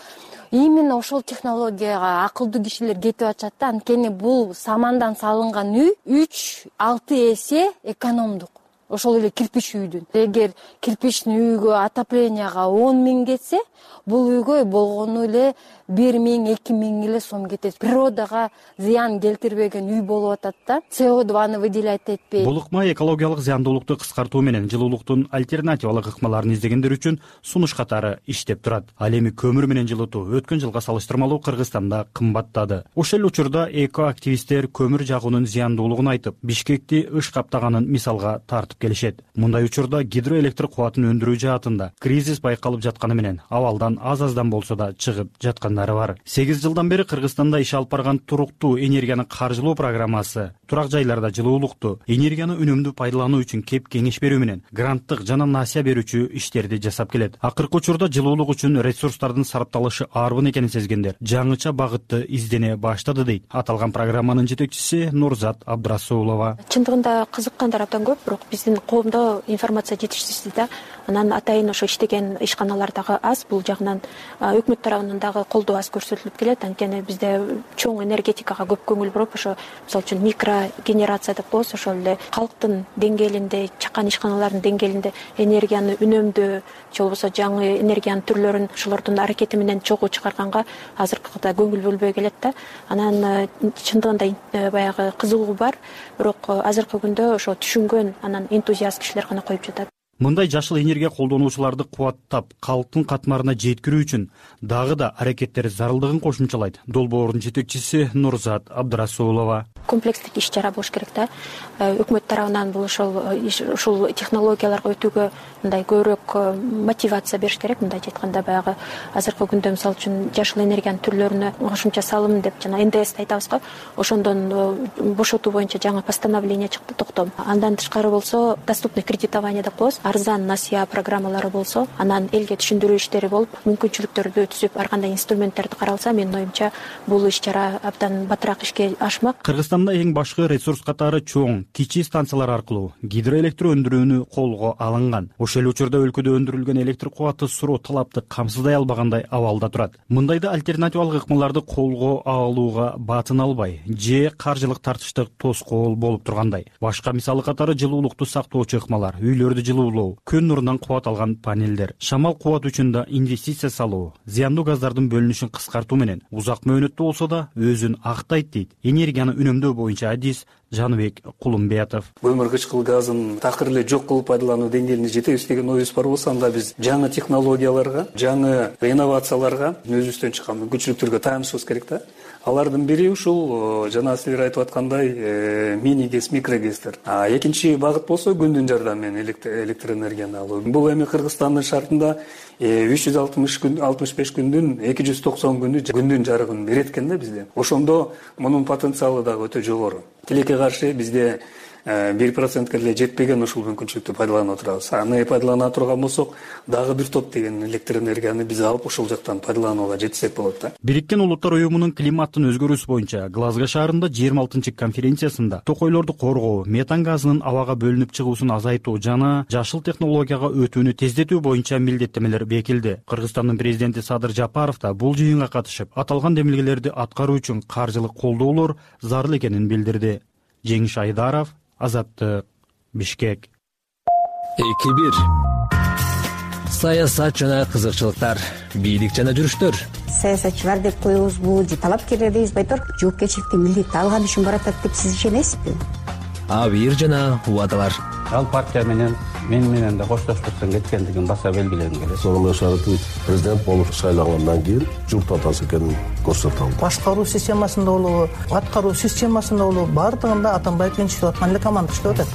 именно ошол технологияга акылдуу кишилер кетип атышат да, анткени бул самандан салынган үй үч алты эсе экономдук. Ошол эле кирпич үйдүн. Эгер кирпичный үйгө отопленияга он миң кетсе, бул үйгө болгону эле бир миң, эки миң эле сом кетет. Природага зыян келтирбеген үй болуп атат да. С О дваны выделять этпей. Бул ыкма экологиялык зыяндуулукту кыскартуу менен жылуулуктун альтернативалык ыкмаларын издегендер үчүн сунуш катары иштеп турат. Ал эми көмүр менен жылытуу өткөн жылга салыштырмалуу Кыргызстанда кымбаттады. Ошол эле учурда экоактивисттер көмүр жагуунун зыяндуулугун айтып, Бишкекти ыш каптаганын мисалга тартып келишет. Мындай учурда гидроэлектр кубатын өндүрүү жаатында кризис байкалып жатканы менен абалдан аз аздан болсо да чыгып жаткандары бар. сегиз жылдан бери Кыргызстанда иш алып барган туруктуу энергияны каржылоо программасы турак жайларда жылуулукту энергияны үнөмдүү пайдалануу үчүн кеп кеңеш берүү менен гранттык жана насыя берүүчү иштерди жасап келет. Акыркы учурда жылуулук үчүн ресурстардын сарапталышы арбын экенин сезгендер жаңыча багытты издене баштады дейт аталган программанын жетекчиси Нурзат Абдрасулова. Чындыгында кызыккандар абдан көп, бирок биздин коомдо информация жетишсиз да. Анан атайын ошо иштеген ишканалар дагы аз, бул жагынан өкмөт тарабынан дагы колдоо аз көрсөтүлүп келет. Анткени бизде чоң энергетикага көп көңүл буруп, ошо мисалы үчүн микрогенерация деп коебуз, ошол эле калктын деңгээлинде, чакан ишканалардын деңгээлинде энергияны үнөмдөө же болбосо жаңы энергиянын түрлөрүн ошолордун аракети менен чогуу чыгарганга азыркыда көңүл бөлбөй келет да. Анан чындыгында баягы кызыгуу бар, бирок азыркы күндө ошо түшүнгөн анан энтузиаст кишилер гана коюп жатат. Мындай жашыл энергия колдонуучуларды кубаттап, калктын катмарына жеткирүү үчүн дагы да аракеттер зарылдыгын кошумчалайт долбоордун жетекчиси Нурзат Абдрасулова. Комплекстик иш чара болуш керек да. Өкмөт тарабынан бул ошол ушул технологияларга өтүүгө мындай көбүрөөк мотивация бериш керек. Мындайча айтканда баягы азыркы күндө мисалы үчүн жашыл энергиянын түрлөрүнө кошумча салым деп жана эн дэ эсти айтабыз го. Ошондон бошотуу боюнча жаңы постановление чыкты, токтом. Андан тышкары болсо доступный кредитование деп коебуз. Арзан насыя программалары болсо, анан элге түшүндүрүү иштери болуп, мүмкүнчүлүктөрдү түзүп, ар кандай инструменттерди каралса, менин оюмча бул иш чара абдан батыраак ишке ашмак. Кыргызстанда эң башкы ресурс катары чоң, кичи станциялар аркылуу гидроэлектр өндүрүүнү колго алынган. Ошол учурда өлкөдө өндүрүлгөн электр кубаты суроо талапты камсыздай албагандай абалда турат. Мындайда альтернативалык ыкмаларды колго алууга батын албай, же каржылык тартыштык тоскоол болуп тургандай. Башка мисалы катары жылуулукту сактоочу ыкмалар, үйлөрдү жылуулоо, күн нурунан кубат алган панелдер, шамал кубат үчүн да инвестиция салуу, зыяндуу газдардын бөлүнүшүн кыскартуу менен узак мөөнөттүү болсо да өзүн актайт дейт энергияны үнөмдөө боюнча адис Жаныбек Кулумбетов. Көмүр кычкыл газын такыр эле жок кылып пайдалануу деңгээлине жетебиз деген оюбуз бар болсо, анда биз жаңы технологияларга, жаңы инновацияларга, өзүбүздөн чыккан мүмкүнчүлүктөргө таянышыбыз керек да. Алардын бири ушул жана силер айтып аткандай мини гэс, микрогестер. А экинчи багыт болсо күндүн жардамы менен электр энергияны алуу. Бул эми Кыргызстандын шартында үч жүз алтымыш күн, алтымыш беш күндүн эки жүз токсон күнү күндүн жарыгын берет экен да бизде. Ошондо мунун потенциалы дагы өтө жогору. Тилекке каршы бизде бир процентке эле жетпеген ушул мүмкүнчүлүктү пайдаланып турабыз. Аны пайдалана турган болсок, дагы бир топ деген электр энергияны биз алып ушул жактан пайдаланууга жетсек болот да. Бириккен Улуттар уюмунун климаттын өзгөрүүсү боюнча Глазго шаарында жыйырма алтынчы конференциясында токойлорду коргоо, метан газынын абага бөлүнүп чыгуусун азайтуу жана жашыл технологияга өтүүнү тездетүү боюнча милдеттемелер бекилди. Кыргызстандын президенти Садыр Жапаров да бул жыйынга катышып, аталган демилгелерди аткаруу үчүн каржылык колдоолор зарыл экенин билдирди. Жеңиш Айдаров, Азаттык, Бишкек. эки бир саясат жана кызыкчылыктар, бийлик жана жүрүштөр. Саясатчылар деп коебузбу же талапкерлер дейбиз, байтор жоопкерчиликти милдетти алган үчүн баратат деп сиз ишенесизби? Абийир жана убадалар. Ал партия менен мен менен да коштоштуктан кеткендигин баса белгилегим келет. Сооронбай Шарипович президент болуп шайлангандан кийин журт атасы экенин көрсөтө алды. Башкаруу системасында болобу, аткаруу системасында болобу, бардыгында Атамбаев менен иштеп аткан эле команда иштеп атат.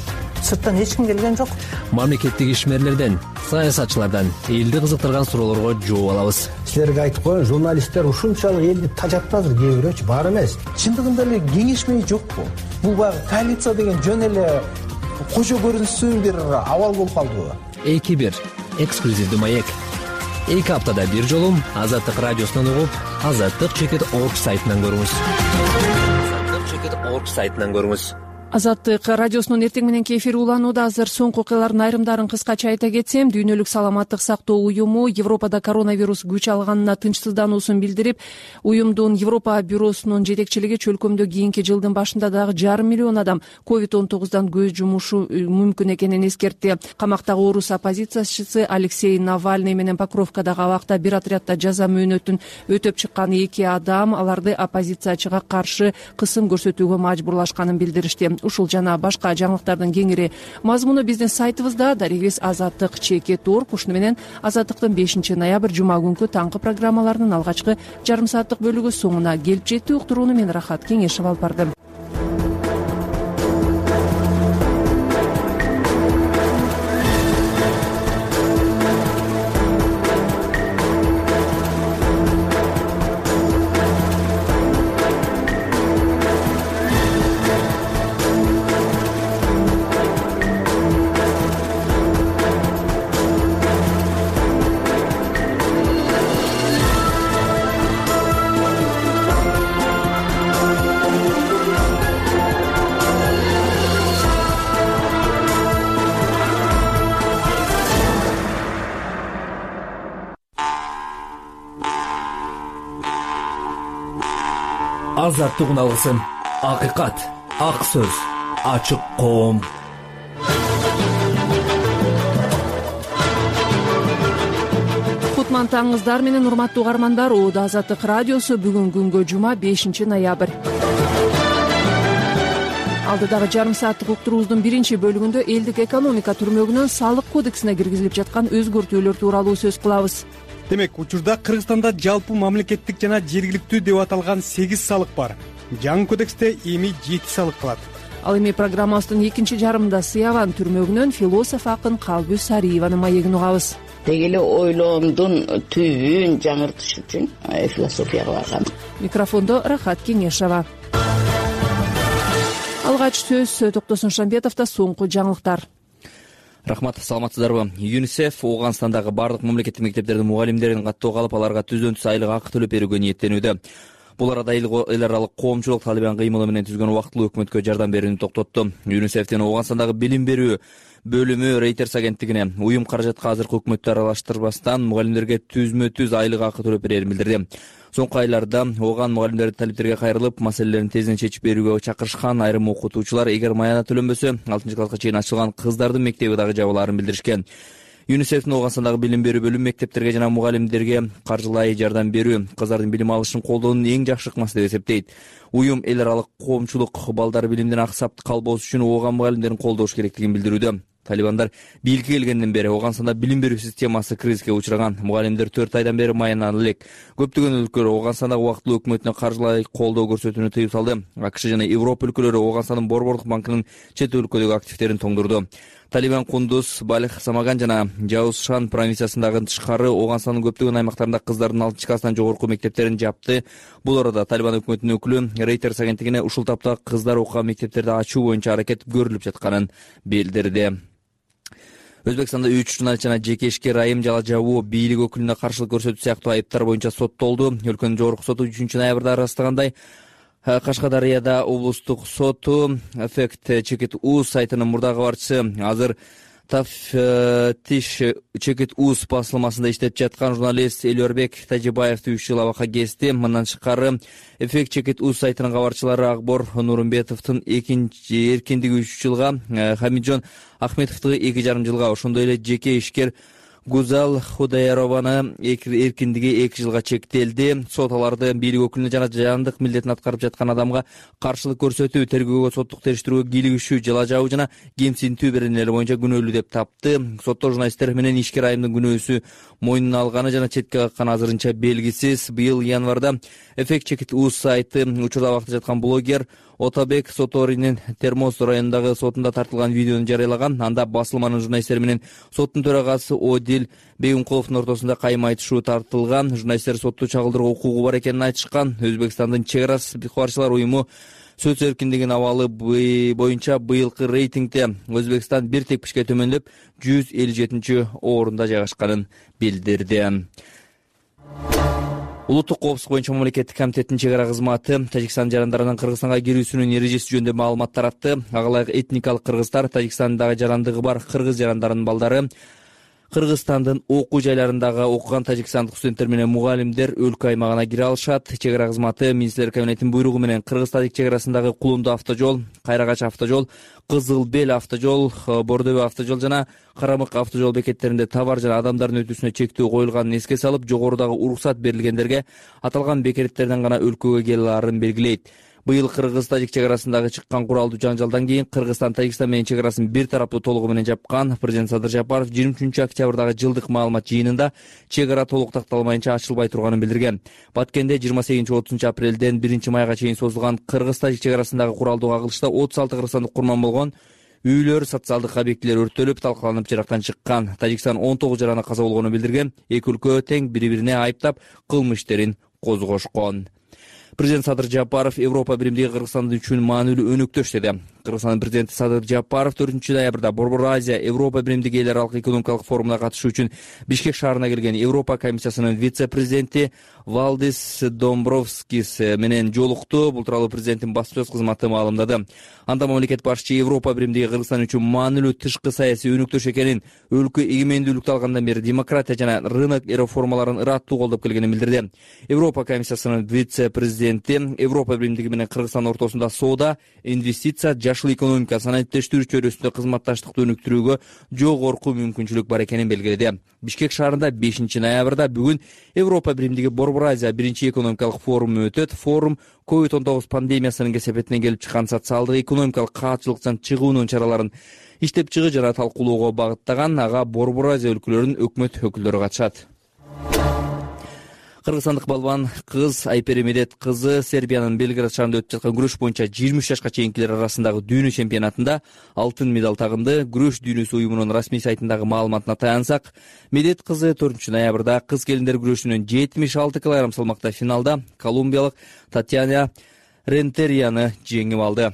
Сырттан эч ким келген жок. Мамлекеттик ишмерлерден, саясатчылардан элди кызыктырган суроолорго жооп алабыз. Силерге айтып коеюн, журналисттер ушунчалык элди тажатты азыр, кээ бирөөчү бар эмес. Чындыгында эле кеңешмей жокпу? Бул баягы коалиция деген жөн эле кожо көрүнсүн бир абал болуп калдыбы? эки бир эксклюзивдүү маек. Эки аптада бир жолу Азаттык радиосунан угуп, азаттык чекит точка орг сайтынан көрүңүз. азаттык чекит точка орг сайтынан көрүңүз. Азаттык радиосунун эртең мененки эфири уланууда. Азыр соңку окуялардын айрымдарын кыскача айта кетсем, Дүйнөлүк саламаттык сактоо уюму Европада коронавирус күч алганына тынчсыздануусун билдирип, уюмдун Европа бюросунун жетекчилиги чөлкөмдө кийинки жылдын башында дагы жарым миллион адам ковид он тогуздан көз жумушу мүмкүн экенин эскертти. Камактагы орус оппозициячысы Алексей Навальный менен Покровкадагы абакта бир отрядда жаза мөөнөтүн өтөп чыккан эки адам аларды оппозициячыга каршы кысым көрсөтүүгө мажбурлашканын билдиришти. Ушул жана башка жаңылыктардын кеңири мазмуну биздин сайтыбызда. Дарегибиз азаттык чекит точка орг. Ушуну менен Азаттыктын бешинчи ноябрь жума күнкү таңкы программаларынын алгачкы жарым сааттык бөлүгү соңуна келип жетти. Уктурууну мен Рахат Кеңешев алып бардым. азаттык уналгысын, акыйкат, ак сөз, ачык коом. Кутман таңыңыздар менен урматтуу угармандар. Оода Азаттык радиосу бүгүн күнгө жума бешинчи ноябрь. Алдыдагы жарым сааттык уктуруубуздун биринчи бөлүгүндө элдик экономика түрмөгүнөн салык кодексине киргизилип жаткан өзгөртүүлөр тууралуу сөз кылабыз. Демек, учурда Кыргызстанда жалпы мамлекеттик жана жергиликтүү деп аталган сегиз салык бар. Жаңы кодексте эми жети салык калат. Ал эми программабыздын экинчи жарымында Сыяван түрмөгүнөн философ акын Калбү Сариеванын маегин угабыз. Деги эле ойлоомдун түбүн жаңыртыш үчүн философияга баргам. Микрофондо Рахат Кеңешова. Алгач сөз Токтосун Шамбетовдо соңку жаңылыктар. Рахмат, саламатсыздарбы? ЮНИСЕФ Ооганстандагы бардык мамлекеттик мектептердин мугалимдерин каттоого алып, аларга түздөн түз айлык акы төлөп берүүгө ниеттенүүдө. Бул арада эл аралык коомчулук Талибан кыймылы менен түзгөн убактылуу өкмөткө жардам берүүнү токтотту. ЮНИСЕФтин Ооганстандагы билим берүү бөлүмү Reuters агенттигине уюм каражатка азыркы өкмөттү аралаштырбастан мугалимдерге түзмө түз айлык акы төлөп берерин билдирди. Соңку айларда Ооган мугалимдер талиптерге кайрылып, маселелерин тезинен чечип берүүгө чакырышкан. Айрым окутуучулар эгер маяна төлөнбөсө, алтынчы класска чейин ачылган кыздардын мектеби дагы жабылаарын билдиришкен. ЮНИСЕФтин Ооганстандагы билим берүү бөлүмү мектептерге жана мугалимдерге каржылай жардам берүү кыздардын билим алышын колдоонун эң жакшы ыкмасы деп эсептейт. Уюм эл аралык коомчулук балдар билимден аксап калбоосу үчүн Ооган мугалимдерин колдош керектигин билдирүүдө. Талибандар бийликке келгенден бери Ооганстанда билим берүү системасы кризиске учураган. Мугалимдер төрт айдан бери маянанып элек. Көптөгөн өлкөлөр Ооганстандагы убактылуу өкмөтүнө каржылай колдоо көрсөтүүнү тыюп салды. АКШ жана Европа өлкөлөрү Ооганстандын Борбордук банкынын чет өлкөдөгү активдерин тоңдурду. Талибан Кундуз, Балих, Самаган жана Жаузшан провинциясындагы тышкары Ооганстандын көптөгөн аймактарында кыздардын алтынчы класстан жогорку мектептерин жапты. Бул арада Талибан өкмөтүнүн өкүлү Reuters агенттигине ушул тапта кыздар окуган мектептерди ачуу боюнча аракет көрүлүп жатканын билдирди. Өзбекстанда үч журналист жана жеке ишкер айым жала жабуу, бийлик өкүлүнө каршылык көрсөтүү сыяктуу айыптар боюнча соттолду. Өлкөнүн жогорку соту үчүнчү ноябрда ырастагандай, Кашкадарыяда облустук соту Effect Чекит Уз сайтынын мурдагы кабарчысы азыр Тафтиш Чекит Уз басылмасында иштеп жаткан журналист Элюрбек Тажибаевди үч жыл абакка кести. Мындан тышкары Effect Чекит Уз сайтынын кабарчылары Акбор Нурумбетовдун экинчи эркиндиги үч жылга, Хамиджон Ахметовду эки жарым жылга, ошондой эле жеке ишкер Гузал Худаярованы эркиндиги эки жылга чектелди. Сот аларды бийлик өкүлүнө жана жаандык милдетин аткарып жаткан адамга каршылык көрсөтүү, тергөөгө, соттук териштирүүгө кийлигишүү, жала жабуу жана кемсинтүү беренелери боюнча күнөөлүү деп тапты. Сотто журналисттер менен ишкер айымдын күнөөсү мойнуна алганы жана четке какканы азырынча белгисиз. Быйыл январда Effect Чекит Уз сайты учурда абакта жаткан блогер Отабек Соторинин Термоз районундагы сотунда тартылган видеону жарыялаган. Анда басылманын журналисттери менен соттун төрагасы Одил Бейгумкуловдун ортосунда кайым айтышуу тартылган. Журналисттер сотту чагылдырууга укугу бар экенин айтышкан. Өзбекстандын чек ара катчылар уюму сөз эркиндигинин абалы боюнча быйылкы рейтингде Өзбекстан бир тепкичке төмөндөп жүз элүү жетинчи орунда жайгашканын билдирди. Улуттук коопсуздук боюнча мамлекеттик комитеттин чек ара кызматы Тажикстан жарандарынын Кыргызстанга кирүүсүнүн эрежеси жөнүндө маалымат таратты. Ага ылайык этникалык кыргыздар, Тажикстандагы жарандыгы бар кыргыз жарандарынын балдары, Кыргызстандын окуу жайларындагы окуган тажикстандык студенттер менен мугалимдер өлкө аймагына кире алышат. Чек ара кызматы министрлер кабинетинин буйругу менен Кыргыз-Тажик чек арасындагы Кулунду автожол, Кайрагач автожол, Кызыл Бел автожол, Бордебе автожол жана Карамык автожол бекеттеринде товар жана адамдардын өтүүсүнө чектөө коюлганын эске салып, жогорудагы уруксат берилгендерге аталган бекеттерден гана өлкөгө келе аларын белгилейт. Быйыл Кыргыз-Тажик чек арасындагы чыккан куралдуу жанжалдан кийин Кыргызстан Тажикстан менен чек арасын бир тараптуу толугу менен жапкан. Президент Садыр Жапаров жыйырма үчүнчү октябрдагы жылдык маалымат жыйынында чек ара толук такталмайынча ачылбай турганын билдирген. Баткенде жыйырма сегизинчи отузунчу апрелден биринчи майга чейин созулган Кыргыз-Тажик чек арасындагы куралдуу кагылышта отуз алты кыргызстандык курман болгон. Үйлөр, социалдык объектилер өрттөлүп, талкаланып жырактан чыккан. Тажикстан он тогуз жараны каза болгонун билдирген. Эки өлкө тең бири-бирине айыптап кылмыш иштерин козгошкон. Президент Садыр Жапаров Европа биримдиги Кыргызстан үчүн маанилүү өнөктөш деди. Кыргызстандын президенти Садыр Жапаров төртүнчү ноябрда Борбор Азия Европа биримдиги эл аралык экономикалык форумуна катышуу үчүн Бишкек шаарына келген Европа комиссиясынын вице-президенти Валдис Домбровскис менен жолукту. Бул тууралуу президенттин басма сөз кызматы маалымдады. Анда мамлекет башчы Европа биримдиги Кыргызстан үчүн маанилүү тышкы саясий өнүктүш экенин, өлкө эгемендүүлүктү алгандан бери демократия жана рынок реформаларын ыраттуу колдоп келгенин билдирди. Европа комиссиясынын вице-президенти Европа биримдиги менен Кыргызстан ортосунда соода, инвестиция, жашыл экономика, санариптештирүү чөйрөсүндө кызматташтыкты өнүктүрүүгө жогорку мүмкүнчүлүк бар экенин белгиледи. Бишкек шаарында бешинчи ноябрда бүгүн Европа биримдиги Борбор Азия биринчи экономикалык форуму өтөт. Форум ковид он тогуз пандемиясынын кесепетинен келип чыккан социалдык экономикалык каатчылыктан чыгуунун чараларын иштеп чыгуу жана талкуулоого багыттаган. Ага Борбор Азия өлкөлөрүнүн өкмөт өкүлдөрү катышат. Кыргызстандык балбан кыз Айпери Медет кызы Сербиянын Белград шаарында өтүп жаткан күрөш боюнча жыйырма үч жашка чейинкилер арасындагы дүйнө чемпионатында алтын медаль тагынды. Күрөш дүйнөсү уюмунун расмий сайтындагы маалыматына таянсак, Медет кызы төртүнчү ноябрда кыз келиндер күрөшүнүн жетимиш алты килограмм салмакта финалда колумбиялык Татьяна Рентерияны жеңип алды.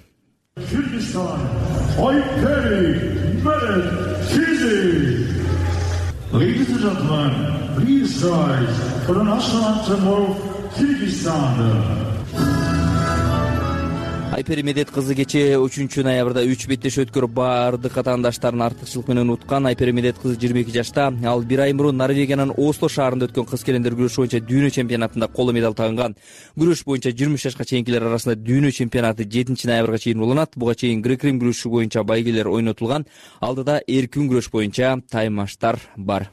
Ladies and gentlemen, please rise for the national anthem of Kyrgyzstan. Айпери Медет кызы кечээ үчүнчү ноябрда үч беттеш өткөрүп бардык атаандаштарын артыкчылык менен уткан. Айпери Медет кызы жыйырма эки жашта. Ал бир ай мурун Норвегиянын Осло шаарында өткөн кыз келиндер күрөшү боюнча дүйнө чемпионатында коло медаль тагынган. Күрөш боюнча жыйырма үч жашка чейинкилер арасында дүйнө чемпионаты жетинчи ноябрга чейин уланат. Буга чейин грек-рим күрөшү боюнча байгелер ойнотулган. Алдыда эркин күрөш боюнча таймаштар бар.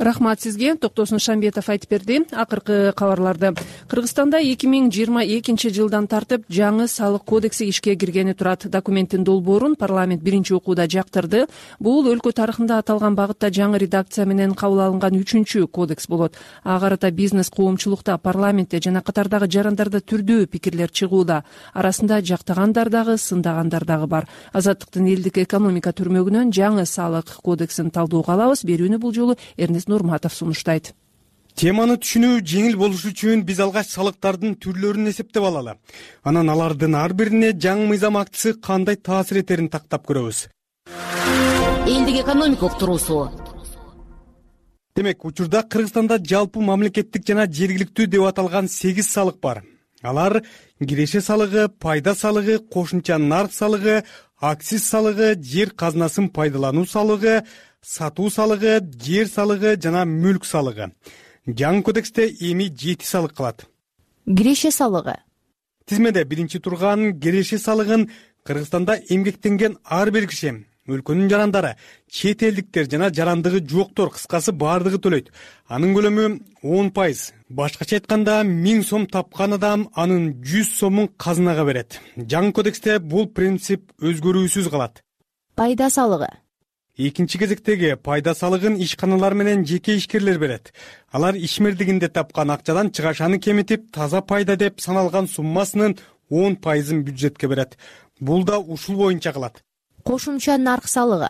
Рахмат сизге. Токтосун Шамбетов айтып берди. Акыркы кабарларды. Кыргызстанда эки миң жыйырма экинчи жылдан тартып жаңы салык кодекси ишке киргени турат. Документтин долбоорун парламент биринчи окууда жактырды. Бул өлкө тарыхында аталган багытта жаңы редакция менен кабыл алынган үчүнчү кодекс болот. Ага карата бизнес коомчулукта, парламентте жана катардагы жарандарда түрдүү пикирлер чыгууда. Арасында жактагандар дагы, сындагандар дагы бар. Азаттыктын элдик экономика түрмөгүнөн жаңы салык кодексин талдоого алабыз. Берүүнү бул жолу Эрнест Нурматов сунуштайт. Теманы түшүнүү жеңил болуш үчүн биз алгач салыктардын түрлөрүн эсептеп алалы. Анан алардын ар бирине жаңы мыйзам актысы кандай таасир этерин тактап көрөбүз. Элдик экономика уктуруусу. Демек, учурда Кыргызстанда жалпы мамлекеттик жана жергиликтүү деп аталган сегиз салык бар. Алар киреше салыгы, пайда салыгы, кошумча нарк салыгы, акциз салыгы, жер казынасын пайдалануу салыгы, сатуу салыгы, жер салыгы жана мүлк салыгы. Жаңы кодексте эми жети салык калат. Киреше салыгы. Тизмеде биринчи турган киреше салыгын Кыргызстанда эмгектенген ар бир киши, өлкөнүн жарандары, чет элдиктер жана жарандыгы жоктор, кыскасы баардыгы төлөйт. Анын көлөмү он пайыз. Башкача айтканда, миң сом тапкан адам анын жүз сомун казынага берет. Жаңы кодексте бул принцип өзгөрүүсүз калат. Пайда салыгы. Экинчи кезектеги пайда салыгын ишканалар менен жеке ишкерлер берет. Алар ишмердигинде тапкан акчадан чыгашаны кемитип, таза пайда деп саналган суммасынын он пайызын бюджетке берет. Бул да ушул боюнча калат. Кошумча нарк салыгы.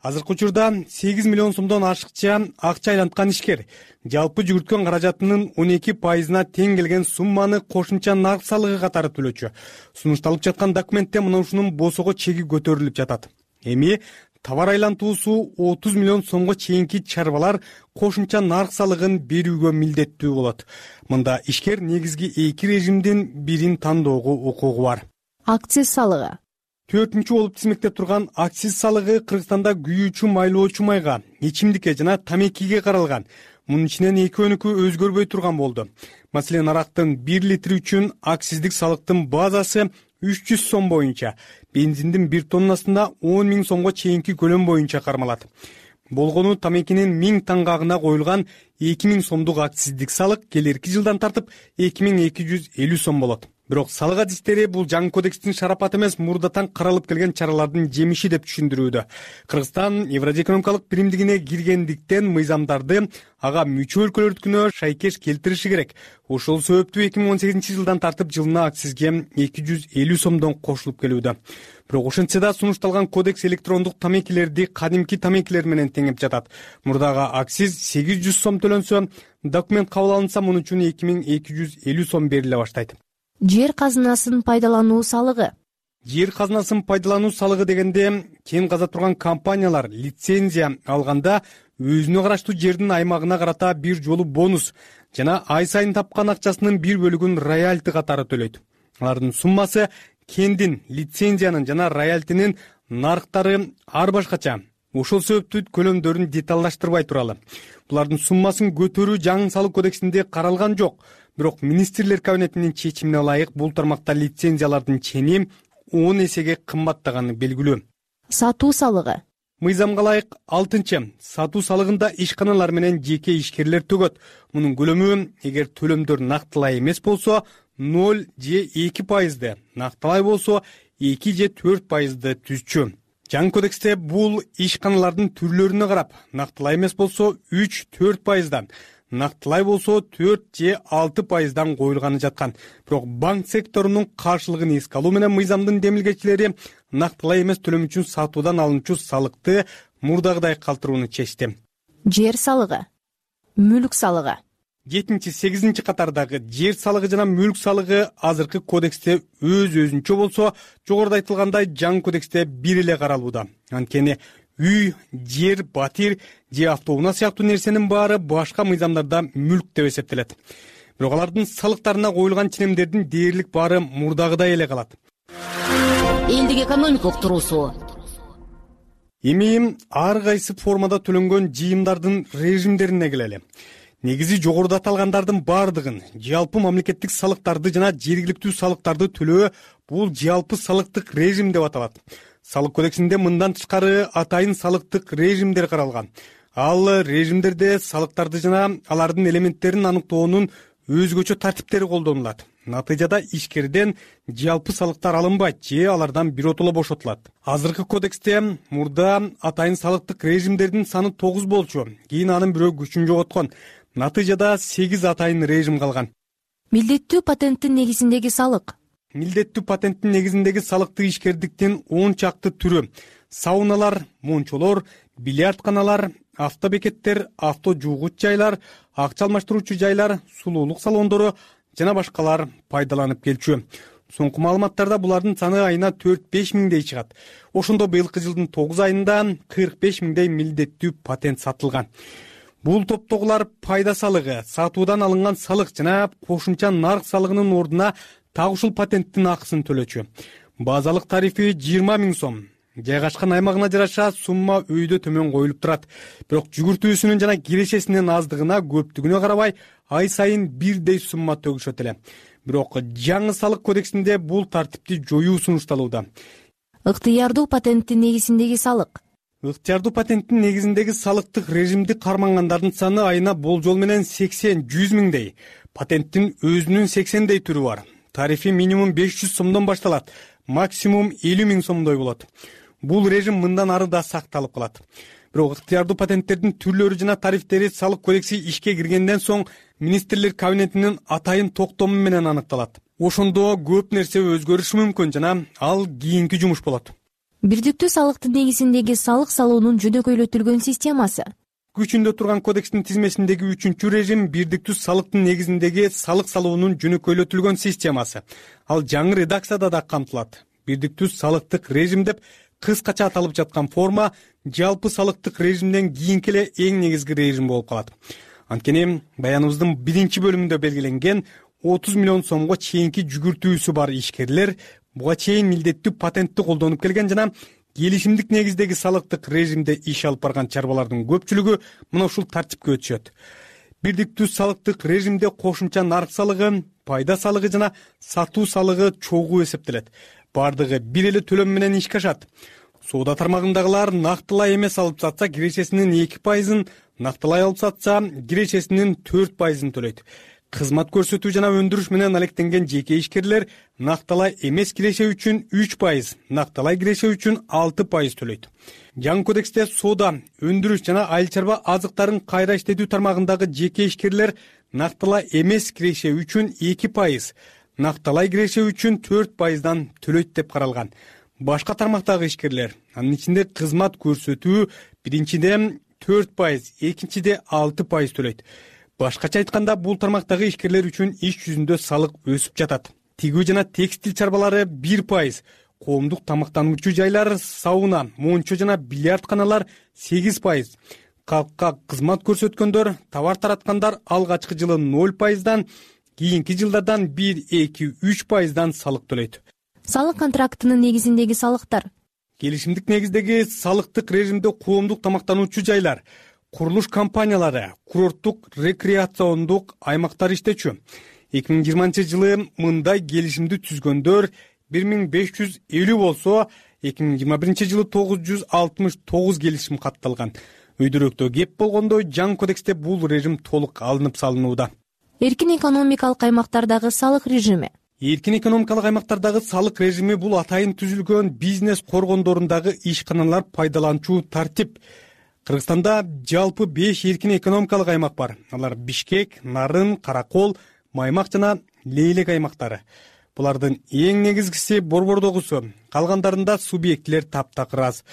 Азыркы учурда сегиз миллион сомдон ашыкча акча айланткан ишкер жалпы жүгүрткөн каражатынын он эки пайызына тең келген сумманы кошумча нарк салыгы катары төлөчү. Сунушталып жаткан документте мына ушунун босого чеги көтөрүлүп жатат. Эми товар айлантуусу отуз миллион сомго чейинки чарбалар кошумча нарк салыгын берүүгө милдеттүү болот. Мында ишкер негизги эки режимдин бирин тандоого укугу бар. Акциз салыгы. Төртүнчү болуп тизмекте турган акциз салыгы Кыргызстанда күйүүчү майлоочу майга, ичимдикке жана тамекиге каралган. Мунун ичинен экөөнүкү өзгөрбөй турган болду. Маселен, арактын бир литри үчүн акциздик салыктын базасы үч жүз сом боюнча, бензиндин бир тоннасында он миң сомго чейинки көлөм боюнча кармалат. Болгону тамекинин миң таңгагына коюлган эки миң сомдук акциздик салык келерки жылдан тартып эки миң эки жүз элүү сом болот. Бирок салык адистери бул жаңы кодекстин шарапаты эмес, мурдатан каралып келген чаралардын жемиши деп түшүндүрүүдө. Кыргызстан Евразия экономикалык биримдигине киргендиктен мыйзамдарды ага мүчө өлкөлөрдүкүнө шайкеш келтириши керек. Ошол себептүү эки миң он сегизинчи жылдан тартып жылына акцизге эки жүз элүү сомдон кошулуп келүүдө. Бирок ошентсе да сунушталган кодекс электрондук тамекилерди кадимки тамекилер менен теңеп жатат. Мурдагы акциз сегиз жүз сом төлөнсө, документ кабыл алынса, муну үчүн эки миң эки жүз элүү сом бериле баштайт. Жер казынасын пайдалануу салыгы. жер казынасын пайдалануу салыгы дегенде кен каза турган компаниялар лицензия алганда өзүнө караштуу жердин аймагына карата бир жолу бонус жана ай сайын тапкан акчасынын бир бөлүгүн роялти катары төлөйт. Алардын суммасы кендин, лицензиянын жана роялтинин нарыктары ар башкача. Ошол себептүү көлөмдөрүн деталдаштырбай туралы. Булардын суммасын көтөрүү жаңы салык кодексинде каралган жок. Бирок министрлер кабинетинин чечимине ылайык бул тармакта лицензиялардын чени он эсеге кымбаттаганы белгилүү. Сатуу салыгы. Мыйзамга ылайык алтынчы сатуу салыгында ишканалар менен жеке ишкерлер төгөт. Мунун көлөмү эгер төлөмдөр нактылай эмес болсо ноль же эки пайызды, нактылай болсо эки же төрт пайызды түзчү. Жаңы кодексте бул ишканалардын түрлөрүнө карап, нактылай эмес болсо үч төрт пайыздан, нактылай болсо төрт же алты пайыздан коюлганы жаткан. Бирок банк секторунун каршылыгын эске алуу менен мыйзамдын демилгечилери нактылай эмес төлөм үчүн сатуудан алынчу салыкты мурдагыдай калтырууну чечти. Жер салыгы, мүлк салыгы. жетинчи сегизинчи катардагы жер салыгы жана мүлк салыгы азыркы кодексте өз өзүнчө болсо, жогоруда айтылгандай жаңы кодексте бир эле каралууда. Анткени үй, жер, батир же автоунаа сыяктуу нерсенин баары башка мыйзамдарда мүлк деп эсептелет. Бирок алардын салыктарына коюлган ченемдердин дээрлик баары мурдагыдай эле калат. Элдик экономика уктуруусу. Эми ар кайсы формада төлөнгөн жыйымдардын режимдерине келели. Негизи жогоруда аталгандардын бардыгын, жалпы мамлекеттик салыктарды жана жергиликтүү салыктарды төлөө бул жалпы салыктык режим деп аталат. Салык кодексинде мындан тышкары атайын салыктык режимдер каралган. Ал режимдерде салыктарды жана алардын элементтерин аныктоонун өзгөчө тартиптери колдонулат. Натыйжада ишкерден жалпы салыктар алынбайт же алардан биротоло бошотулат. Азыркы кодексте мурда атайын салыктык режимдердин саны тогуз болчу, кийин анын бирөө күчүн жоготкон. Натыйжада сегиз атайын режим калган. Милдеттүү патенттин негизиндеги салык. Милдеттүү патенттин негизиндеги салыктык ишкердиктин он чакты түрү: сауналар, мончолор, бильярдканалар, автобекеттер, авто жуугуч жайлар, акча алмаштыруучу жайлар, сулуулук салондору жана башкалар пайдаланып келчү. Соңку маалыматтарда булардын саны айына төрт беш миңдей чыгат. Ошондо быйылкы жылдын тогуз айында кырк беш миңдей милдеттүү патент сатылган. Бул топтогулар пайда салыгы, сатуудан алынган салык жана кошумча нарк салыгынын ордуна так ушул патенттин акысын төлөчү. Базалык тарифи жыйырма миң сом. Жайгашкан аймагына жараша сумма өйдө төмөн коюлуп турат. Бирок жүгүртүүсүнүн жана кирешесинин аздыгына, көптүгүнө карабай ай сайын бирдей сумма төгүшөт эле. Бирок жаңы салык кодексинде бул тартипти жоюу сунушталууда. Ыктыярдуу патенттин негизиндеги салык. Ыктыярдуу патенттин негизиндеги салыктык режимди кармангандардын саны айына болжол менен сексен жүз миңдей. Патенттин өзүнүн сексендей түрү бар. Тарифи минимум беш жүз сомдон башталат, максимум элүү миң сомдой болот. Бул режим мындан ары да сакталып калат. Бирок ыктыярдуу патенттердин түрлөрү жана тарифтери салык кодекси ишке киргенден соң министрлер кабинетинин атайын токтому менен аныкталат. Ошондо көп нерсе өзгөрүшү мүмкүн жана ал кийинки жумуш болот. Бирдиктүү салыктын негизиндеги салык салуунун жөнөкөйлөтүлгөн системасы. Күчүндө турган кодекстин тизмесиндеги үчүнчү режим бирдиктүү салыктын негизиндеги салык салуунун жөнөкөйлөтүлгөн системасы. Ал жаңы редакцияда да камтылат. Бирдиктүү салыктык режим деп кыскача аталып жаткан форма жалпы салыктык режимден кийинки эле эң негизги режим болуп калат. Анткени баяныбыздын биринчи бөлүмүндө белгиленген отуз миллион сомго чейинки жүгүртүүсү бар ишкерлер буга чейин милдеттүү патентти колдонуп келген жана келишимдик негиздеги салыктык режимде иш алып барган чарбалардын көпчүлүгү мына ушул тартипке өтүшөт. Бирдиктүү салыктык режимде кошумча нарк салыгы, пайда салыгы жана сатуу салыгы чогуу эсептелет. Бардыгы бир эле төлөм менен ишке ашат. Соода тармагындагылар нактылай эмес алып сатса кирешесинин эки пайызын, нактылай алып сатса кирешесинин төрт пайызын төлөйт. Кызмат көрсөтүү жана өндүрүш менен алектенген жеке ишкерлер накталай эмес киреше үчүн үч пайыз, накталай киреше үчүн алты пайыз төлөйт. Жаңы кодексте соода, өндүрүш жана айыл чарба азыктарын кайра иштетүү тармагындагы жеке ишкерлер накталай эмес киреше үчүн эки пайыз, накталай киреше үчүн төрт пайыздан төлөйт деп каралган. Башка тармактагы ишкерлер, анын ичинде кызмат көрсөтүү биринчиден төрт пайыз, экинчиде алты пайыз төлөйт. Башкача айтканда, бул тармактагы ишкерлер үчүн иш жүзүндө салык өсүп жатат. Тигүү жана текстил чарбалары бир пайыз, коомдук тамактануучу жайлар, сауна, мончо жана бильярдканалар сегиз пайыз, калкка кызмат көрсөткөндөр, товар тараткандар алгачкы жылы ноль пайыздан, кийинки жылдардан бир, эки, үч пайыздан салык төлөйт. Салык контрактынын негизиндеги салыктар. Келишимдик негиздеги салыктык режимде коомдук тамактануучу жайлар, курулуш компаниялары, курорттук рекреациондук аймактар иштечү. эки миң жыйырманчы жылы мындай келишимди түзгөндөр бир миң беш жүз элүү болсо, эки миң жыйырма биринчи жылы тогуз жүз алтымыш тогуз келишим катталган. Өйдөрөктө кеп болгондо жаңы кодексте бул режим толук алынып салынууда. Эркин экономикалык аймактардагы салык режими. Эркин экономикалык аймактардагы салык режими бул атайын түзүлгөн бизнес коргондорундагы ишканалар пайдаланчу тартип. Кыргызстанда жалпы беш эркин экономикалык аймак бар. Алар Бишкек, Нарын, Каракол, Маймак жана Лейлек аймактары. Булардын эң негизгиси Борбордогусу, калгандарында субъектилер таптакыр аз.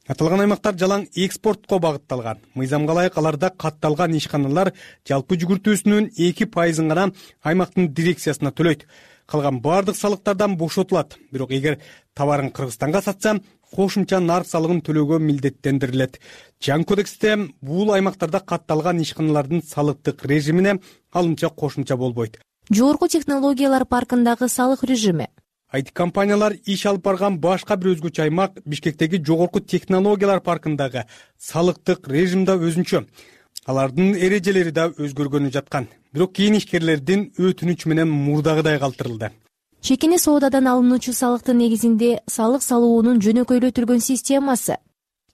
Аталган аймактар жалаң экспортко багытталган. Мыйзамга ылайык аларда катталган ишканалар жалпы жүгүртүүсүнүн эки пайызын гана аймактын дирекциясына төлөйт. Калган бардык салыктардан бошотулат. Бирок эгер товарын Кыргызстанга сатса, кошумча нарк салыгын төлөөгө милдеттендирилет. Жаңы кодексте бул аймактарда катталган ишканалардын салыктык режимине алынча кошумча болбойт. Жогорку технологиялар паркындагы салык режими. ай ти компаниялар иш алып барган башка бир өзгөчө аймак Бишкектеги жогорку технологиялар паркындагы салыктык режим да өзүнчө. Алардын эрежелери да өзгөргөнү жаткан. Бирок кийин ишкерлердин өтүнүчү менен мурдагыдай калтырылды. Чекине соодадан алынуучу салыктын негизинде салык салуунун жөнөкөйлөтүлгөн системасы.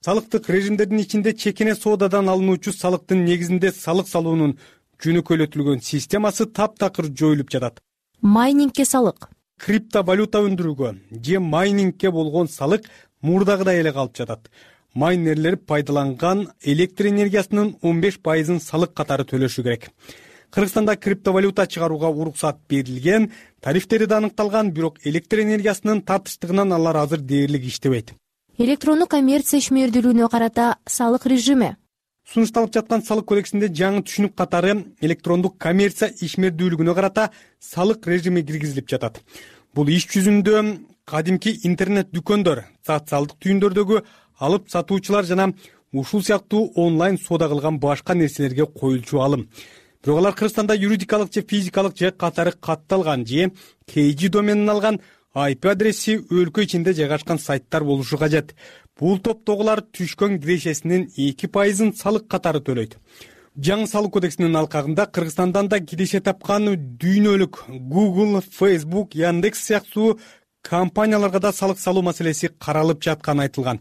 Салыктык режимдердин ичинде чекине соодадан алынуучу салыктын негизинде салык салуунун жөнөкөйлөтүлгөн системасы таптакыр жоюлуп жатат. Майнингке салык. Криптовалюта өндүрүүгө же майнингке болгон салык мурдагыдай эле калып жатат. Майнерлер пайдаланган электр энергиясынын он беш пайызын салык катары төлөшү керек. Кыргызстанда криптовалюта чыгарууга уруксат берилген, тарифтери да аныкталган, бирок электр энергиясынын тартыштыгынан алар азыр дээрлик иштебейт. Электрондук коммерция ишмердүүлүгүнө карата салык режими. Сунушталып жаткан салык кодексинде жаңы түшүнүк катары электрондук коммерция ишмердүүлүгүнө карата салык режими киргизилип жатат. Бул иш жүзүндө кадимки интернет дүкөндөр, социалдык түйүндөрдөгү алып сатуучулар жана ушул сыяктуу онлайн соода кылган башка нерселерге коюлчу алым. Бирок алар Кыргызстанда юридикалык же физикалык же катары катталган же кей жи доменин алган ай пи адреси өлкө ичинде жайгашкан сайттар болушу кажет. Бул топтогулар түшкөн кирешесинин эки пайызын салык катары төлөйт. Жаңы салык кодексинин алкагында Кыргызстандан да киреше тапкан дүйнөлүк Google, Facebook, Яндекс сыяктуу компанияларга да салык салуу маселеси каралып жатканы айтылган.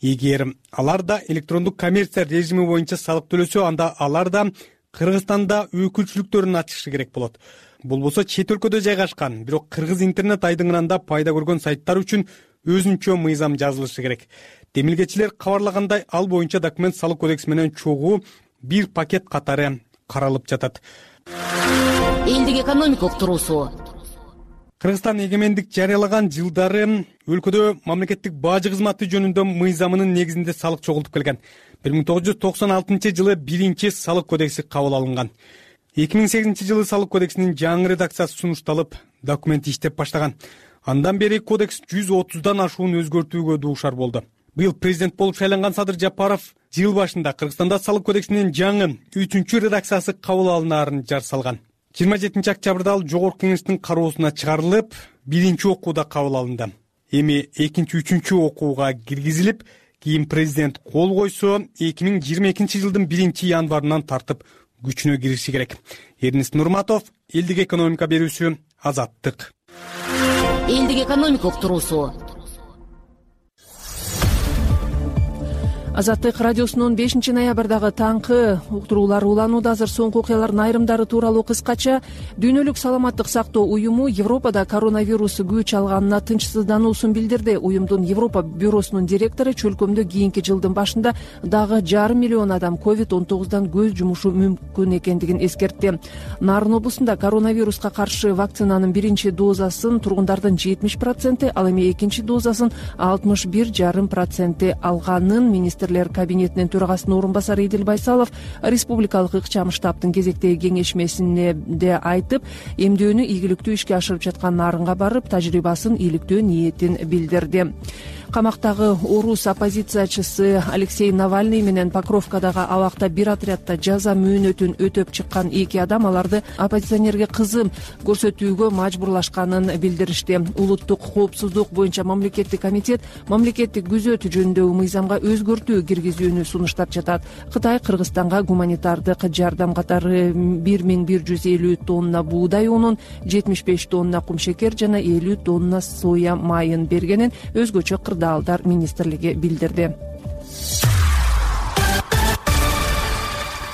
Эгер алар да электрондук коммерция режими боюнча салык төлөсө, анда алар да Кыргызстанда өкүлчүлүктөрүн ачышы керек болот. Болбосо чет өлкөдө жайгашкан, бирок кыргыз интернет айдыңында пайда көргөн сайттар үчүн өзүнчө мыйзам жазылышы керек. Демилгечилер кабарлагандай, ал боюнча документ салык кодекси менен чогуу бир пакет катары каралып жатат. Элдик экономика уктуруусу. Кыргызстан эгемендик жарыялаган жылдары өлкөдө мамлекеттик бажы кызматы жөнүндө мыйзамынын негизинде салык чогултуп келген. бир миң тогуз жүз токсон алтынчы жылы биринчи салык кодекси кабыл алынган. эки миң сегизинчи жылы салык кодексинин жаңы редакциясы сунушталып, документ иштеп баштаган. Андан бери кодекс жүз отуздан ашуун өзгөртүүгө дуушар болду. Быйыл президент болуп шайланган Садыр Жапаров жыл башында Кыргызстанда салык кодексинин жаңы үчүнчү редакциясы кабыл алынаарын жар салган. жыйырма жетинчи октябрда ал жогорку кеңештин кароосуна чыгарылып, биринчи окууда кабыл алынды. Эми экинчи, үчүнчү окууга киргизилип, кийин президент кол койсо, эки миң жыйырма экинчи жылдын биринчи январынан тартып күчүнө кириши керек. Эрнест Нурматов, Элдик экономика берүүсү, Азаттык. Элдик экономика уктуруусу. Азаттык радиосунун бешинчи ноябрдагы таңкы уктуруулар уланууда. Азыр соңку окуялардын айрымдары тууралуу кыскача. Дүйнөлүк саламаттык сактоо уюму Европада коронавирус күч алганына тынчсыздануусун билдирди. Уюмдун Европа бюросунун директору чөлкөмдө кийинки жылдын башында дагы жарым миллион адам ковид он тогуздан көз жумушу мүмкүн экендигин эскертти. Нарын облусунда коронавируска каршы вакцинанын биринчи дозасын тургундардын жетимиш проценти, ал эми экинчи дозасын алтымыш бир жарым проценти алганын министр министрлер кабинетинин төрагасынын орун басары Идил Байсалов республикалык ыкчам штабтын кезектеги кеңешмесинде айтып, эмдөөнү ийгиликтүү ишке ашырып жаткан нарынга барып, тажрыйбасын иликтөө ниетин билдирди. Камактагы орус оппозициячысы Алексей Навальный менен Покровкадагы абакта бир отрядда жаза мөөнөтүн өтөп чыккан эки адам аларды оппозиционерге кызым көрсөтүүгө мажбурлашканын билдиришти. Улуттук коопсуздук боюнча мамлекеттик комитет мамлекеттик күзөт жөнүндөгү мыйзамга өзгөртүү киргизүүнү сунуштап жатат. Кытай Кыргызстанга гуманитардык жардам катары бир миң бир жүз элүү тонна буудай унун, жетимиш беш тонна кумшекер жана элүү тонна соя майын бергенин өзгөчө кырдаалдар министрлиги билдирди.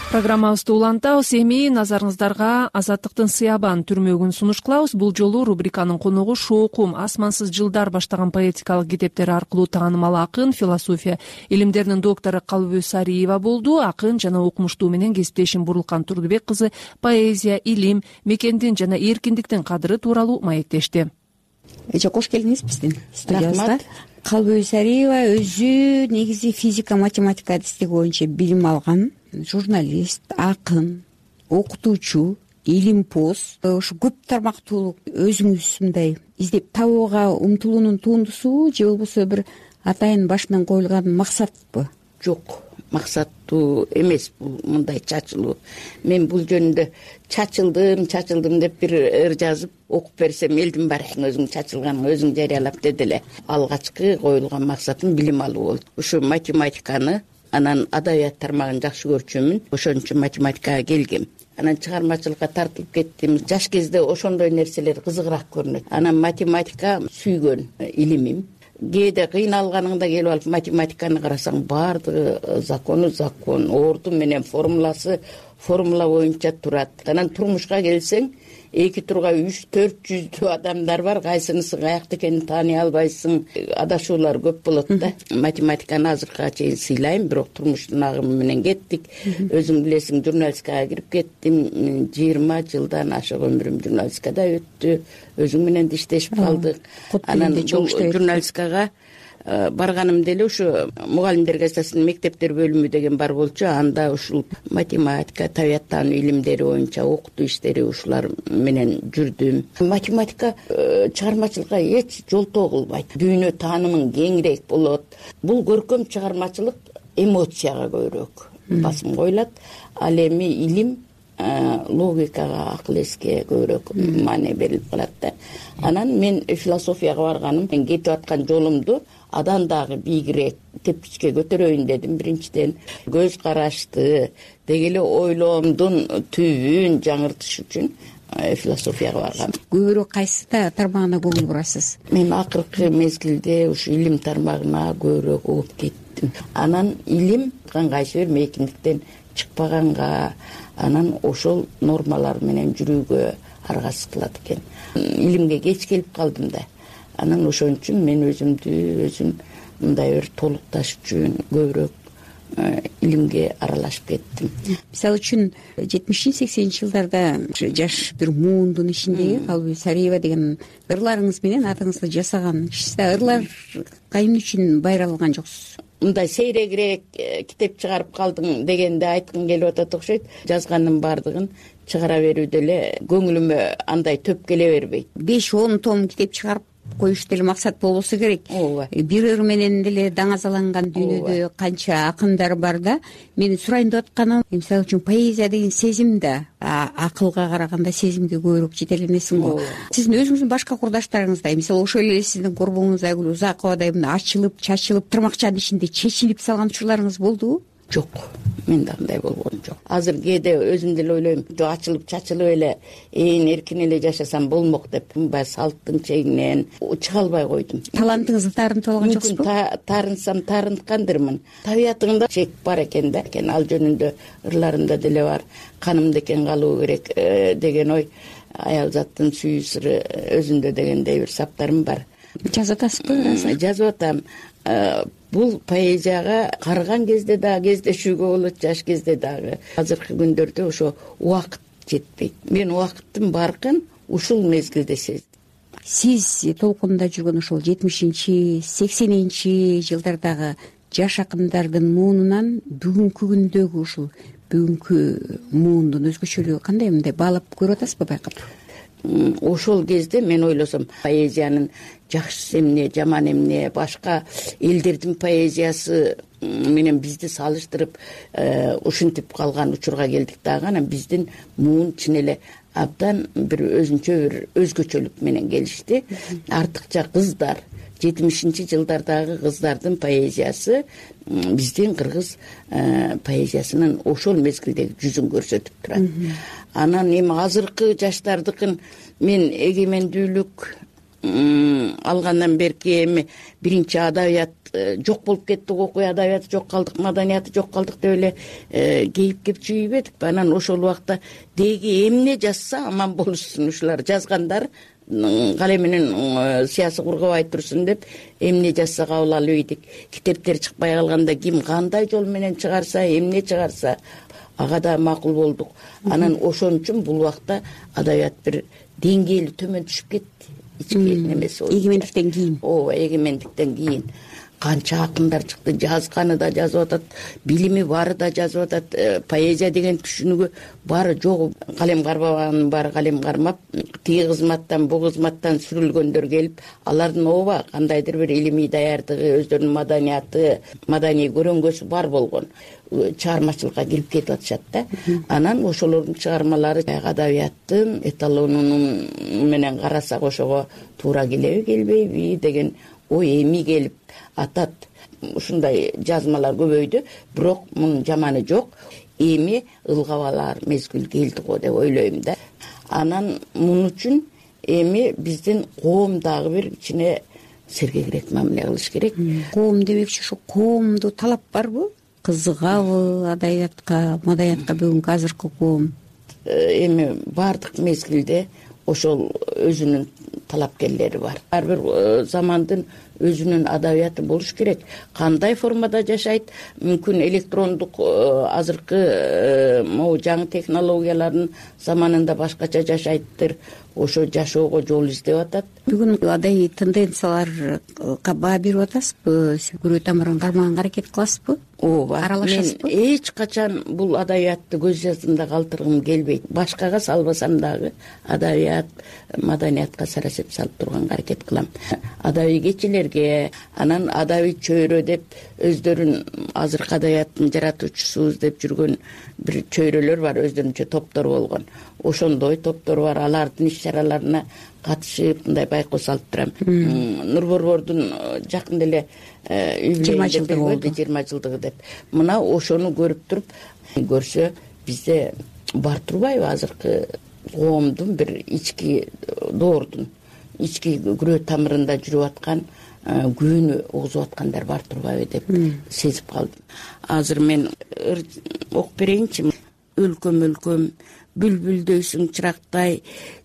Программабызды улантабыз. Эми назарыңыздарга Азаттыктын Сыябан түрмөгүн сунуш кылабыз. Бул жолу рубриканын коногу Шоокум асмансыз жылдар баштаган поэтикалык китептери аркылуу таанымал акын, философия илимдеринин доктору Калбү Сариева болду. Акын жана окумуштуу менен кесиптешим Бурлукан Турдубек кызы поэзия, илим, мекендин жана эркиндиктин кадыры тууралуу маектешти. Эже кош келдиңиз биздин студиябызга. Калбү Сариева өзү негизи физика, математика адистиги боюнча билим алган журналист, акын, окутуучу, илимпоз. Ошо көп тармактуулук өзүңүз мындай издеп табууга умтулуунун тундусу же болбосо бир атайын башынан коюлган максатпы? Жок, максаттуу эмес бул мындай чачылуу. Мен бул жөнүндө чачылдым, чачылдым деп бир ыр жазып окуп берсем, элдин баары өзүң чачылганың өзүң жарыялап деди эле. Алгачкы коюлган максатым билим алуу болду. Ошо математиканы, анан адабият тармагын жакшы көрчүмүн. Ошон үчүн математикага келгем. Анан чыгармачылыкка тартылып кеттим. Жаш кезде ошондой нерселер кызыгыраак көрүнөт. Анан математика сүйгөн илимим. Кээде кыйналганыңда келип алып математиканы карасаң, баардыгы закону закон, орду менен формуласы формула боюнча турат. Анан турмушка келсең, эки турга үч төрт жүздүү адамдар бар, кайсынысы каякта экенин тааный албайсың. Адашуулар көп болот да. Математиканы азыркыга чейин сыйлайм, бирок турмуштун агымы менен кеттик. Өзүң билесиң, журналистикага кирип кеттим. жыйырма жылдан ашык өмүрүм журналистикада өттү. Өзүң менен иштешип калдык. Анан журналистикага барганым деле ушу мугалимдер кассасынын мектептер бөлүмү деген бар болчу. Анда ушул математика, табияттануу илимдери боюнча окутуу иштери ушулар менен жүрдүм. Математика чыгармачылыкка эч жолтоо кылбайт. Дүйнө таанымың кеңирээк болот. Бул көркөм чыгармачылык эмоцияга көбүрөөк басым коюлат. Ал эми илим логикага, акыл эске көбүрөөк маани берилип калат да. Анан мен философияга барганым, мен кетип аткан жолумду адан дагы бийигирээк тепкичке көтөрөйүн дедим. Биринчиден көз карашты, деги эле ойлоомдун түбүн жаңыртыш үчүн философияга баргам. Көбүрөөк кайсы тармагына көңүл бурасыз? Мен акыркы мезгилде ушу илим тармагына көбүрөөк угуп кеттим. Анан илим кайсы бир мейкиндиктен чыкпаганга, анан ошол нормалар менен жүрүүгө аргасыз кылат экен. Илимге кеч келип калдым да. Анан ошон үчүн мен өзүмдү өзүм мындай бир толукташ үчүн көбүрөөк илимге аралашып кеттим. Мисалы үчүн жетимишинчи сексенинчи жылдарда жаш бир муундун ичиндеги Калбү Сариева деген ырларыңыз менен атыңызды жасаган кишисиз. Ырлар кайын үчүн байралган жоксуз? Мындай сейрегирээк китеп чыгарып калдың дегенде айткым келип атат окшойт. Жазганын баардыгын чыгара берүүдө эле көңүлүмө андай төп келе бербейт. беш он том китеп чыгарып коюш деле максат болбосо керек. Бир ыр менен деле даңазаланган дүйнөдө канча акындар бар да. Менин сурайын деп атканым, мисалы үчүн поэзия деген сезим да акылга караганда сезимге көбүрөөк жетер эмесин го. Сиздин өзүңүздүн башка курдаштарыңыздай, мисалы ошол эле сиздин корбоңуз Айгүл Узаковадай мына ачылып, чачылып, тырмакчанын ичинде чечилип салган учурларыңыз болдубу? Жок, менде андай болгон жок. Азыр кээде өзүм деле ойлойм, жок ачылып чачылып эле ээн эркин эле жашасам болмок деп, мындай салттын чегинен чыга албай койдум. Талантыңызды таарынтып алган жоксузбу? Таарынсам таарынткандырмын. Табиятыңда чек бар экен да. Ал жөнүндө ырларымда деле бар. Канымда экен калуу керек деген ой, аял заттын сүйүү сыры өзүндө дегендей бир саптарым бар. Жазып атасызбы? Жазып атам. Бул поэзияга карыган кезде дагы кездешүүгө болот, жаш кезде дагы. Азыркы күндөрдө ошо убакыт жетпейт. Мен убакыттын баркын ушул мезгилде сездим. Сиз толкунда жүргөн ошол жетимишинчи, сексенинчи жылдардагы жаш акындардын муунунан бүгүнкү күндөгү ушул бүгүнкү муундун өзгөчөлүгү кандай, мындай баалап көрүп атасызбы, байкап? Ошол кезде мен ойлосом поэзиянын жакшысы эмне, жаман эмне, башка элдердин поэзиясы менен бизди салыштырып ушинтип калган учурга келдик дагы. Анан биздин муун чын эле абдан бир өзүнчө бир өзгөчөлүк менен келишти. Артыкча кыздар, жетимишинчи жылдардагы кыздардын поэзиясы биздин кыргыз поэзиясынын ошол мезгилдеги жүзүн көрсөтүп турат. Анан эми азыркы жаштардыкын мен эгемендүүлүк алгандан берки эми биринчи адабият жок болуп кеттик, окуя адабияты жок калдык, маданияты жок калдык деп эле кейип кеп чүйбөдүкпү. Анан ошол убакта деги эмне жазса аман болушсун, ушулар жазгандар калем менен сыясы кургабай турсун деп эмне жазса кабыл алып ийдик. Китептер чыкпай калганда ким кандай жол менен чыгарса, эмне чыгарса ага да макул болдук. Анан ошон үчүн бул убакта адабият бир деңгээли төмөн түшүп кетти. Ички немеси эгемендиктен кийин. Ооба, эгемендиктен кийин канча акындар чыкты, жазганы да жазып атат, билими бары да жазып атат. Поэзия деген түшүнүгү бары жогу, калем карбаганын баары калем кармап, тиги кызматтан бу кызматтан сүрүлгөндөр келип, алардын ооба кандайдыр бир илимий даярдыгы, өздөрүнүн маданияты, маданий көрөңгөсү бар болгон чыгармачылыкка кирип кетип атышат да. Анан ошолордун чыгармалары адабияттын эталонунун менен карасак ошого туура келеби, келбейби деген ой эми келип атат. Ушундай жазмалар көбөйдү, бирок мунун жаманы жок. Эми ылгап алар мезгил келди го деп ойлойм да. Анан мун үчүн эми биздин коом дагы бир кичине сергегирээк мамиле кылыш керек. Коом демекчи ушу коомдо талап барбы? Кызыгабы адабиятка, маданиятка бүгүнкү азыркы коом? Эми баардык мезгилде ошол өзүнүн талапкерлери бар. Ар бир замандын өзүнүн адабияты болуш керек. Кандай формада жашайт? Мүмкүн электрондук азыркы могу жаңы технологиялардын заманында башкача жашайттыр. Ошо жашоого жол издеп атат. Бүгүн адайый тенденцияларга баа берип атасызбы? Күрөө тамырын кармаганга аракет кыласызбы? Ооба. Аралашасызбы? Мен эч качан бул адабиятты көз жаздымда калтыргым келбейт. Башкага салбасам дагы адабият, маданиятка сарасеп салып турганга аракет кылам. Адабий кечелерге, анан адабий чөйрө деп өздөрүн азыркы адабияттын жаратуучусубуз деп жүргөн бир чөйрөлөр бар, өздөрүнчө топтор болгон. Ошондой топтор бар, алардын иш чараларына катышып мындай байкоо салып турам. Нурборбордун жакында эле жыйырма жылдыгы болду, жыйырма жылдыгы деп. Мына ошону көрүп туруп, көрсө бизде бар турбайбы азыркы коомдун бир ички доордун, ички күрөө тамырында жүрүп аткан күйүүнү угузуп аткандар бар турбайбы деп сезип калдым. Азыр мен окуп берейинчи. Өлкөм өлкөм бүлбүлдөйсүң чырактай,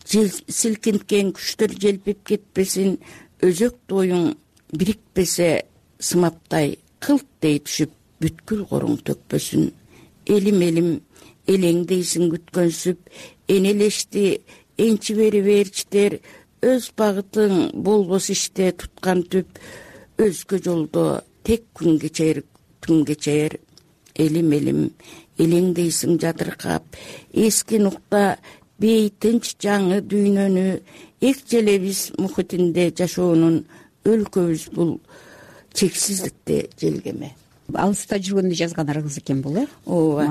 силкинткен күчтөр желпип кетпесин, өзөк тоюң бирикпесе сымаптай, кылт дей түшүп бүткүл коруң төкпөсүн. Элим элим элеңдейсиң күткөнсүп, энелешти энчи бери берчитер, өз багытың болбос иште туткан түп, өзгө жолдо тек күн кечер, түн кечер. Элим элим элеңдейсиң жатыркап, эски нукта бейтинч жаңы дүйнөнү, эк желебиз мухитинде жашоонун, өлкөбүз бул чексиздикте желгеме. Алыста жүргөндө жазгандарыңыз экен бул, э? Ооба.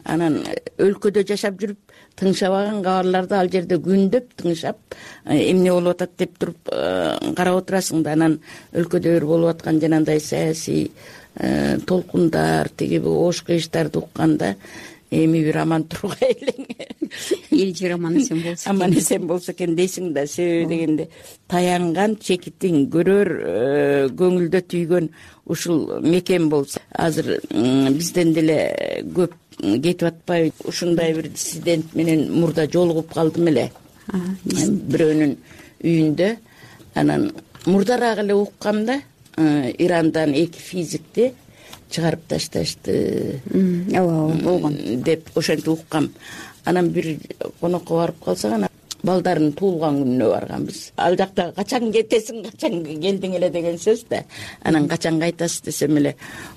Анан өлкөдө жашап жүрүп, тыңшабаган кабарларды ал жерде күндөп тыңшап, эмне болуп атат деп туруп карап отурасың да. Анан өлкөдө бир болуп аткан жанагындай саясий толкундар, тиги бул ош кыйыштарды укканда эми бир аман тургай элең. Эл жер аман эсен болсо экен. Аман эсен болсо экен дейсиң да. Себеби дегенде таянган чекитиң, көрөр көңүлдө түйгөн ушул мекен болсо. Азыр бизден деле көп кетип атпайбы? Ушундай бир диссидент менен мурда жолугуп калдым эле. Бирөөнүн үйүндө. Анан мурдараак эле уккам да, Ирандан эки физикти чыгарып ташташты. Ооба, болгон деп ошентип уккам. Анан бир конокко барып калсак, анан балдарынын туулган күнүнө барганбыз. Ал жакта качан кетесиң, качан келдиң эле деген сөз да. Анан качан кайтасыз десем эле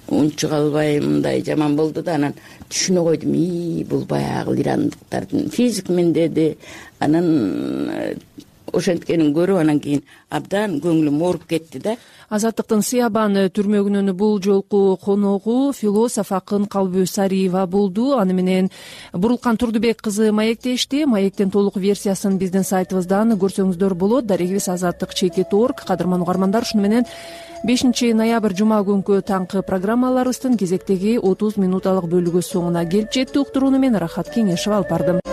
унчук албай мындай жаман болду да, анан түшүнө койдум. И бул баягы ирандыктардын физикмен деди. Анан ошенткенин көрүп анан кийин абдан көңүлүм ооруп кетти да. Азаттыктын Сыябан түрмөгүнүн бул жолку коногу философ акын Калбү Сариева болду. Аны менен Бурулкан Турдубек кызы маектешти. Маектин толук версиясын биздин сайтыбыздан көрсөңүздөр болот. Дарегибиз азаттык чекит точка орг. Кадырман угармандар, ушуну менен бешинчи ноябрь жума күнкү таңкы программаларыбыздын кезектеги отуз минуталык бөлүгү соңуна келип жетти. Уктурууну мен Рахат Кеңешева алып бардым.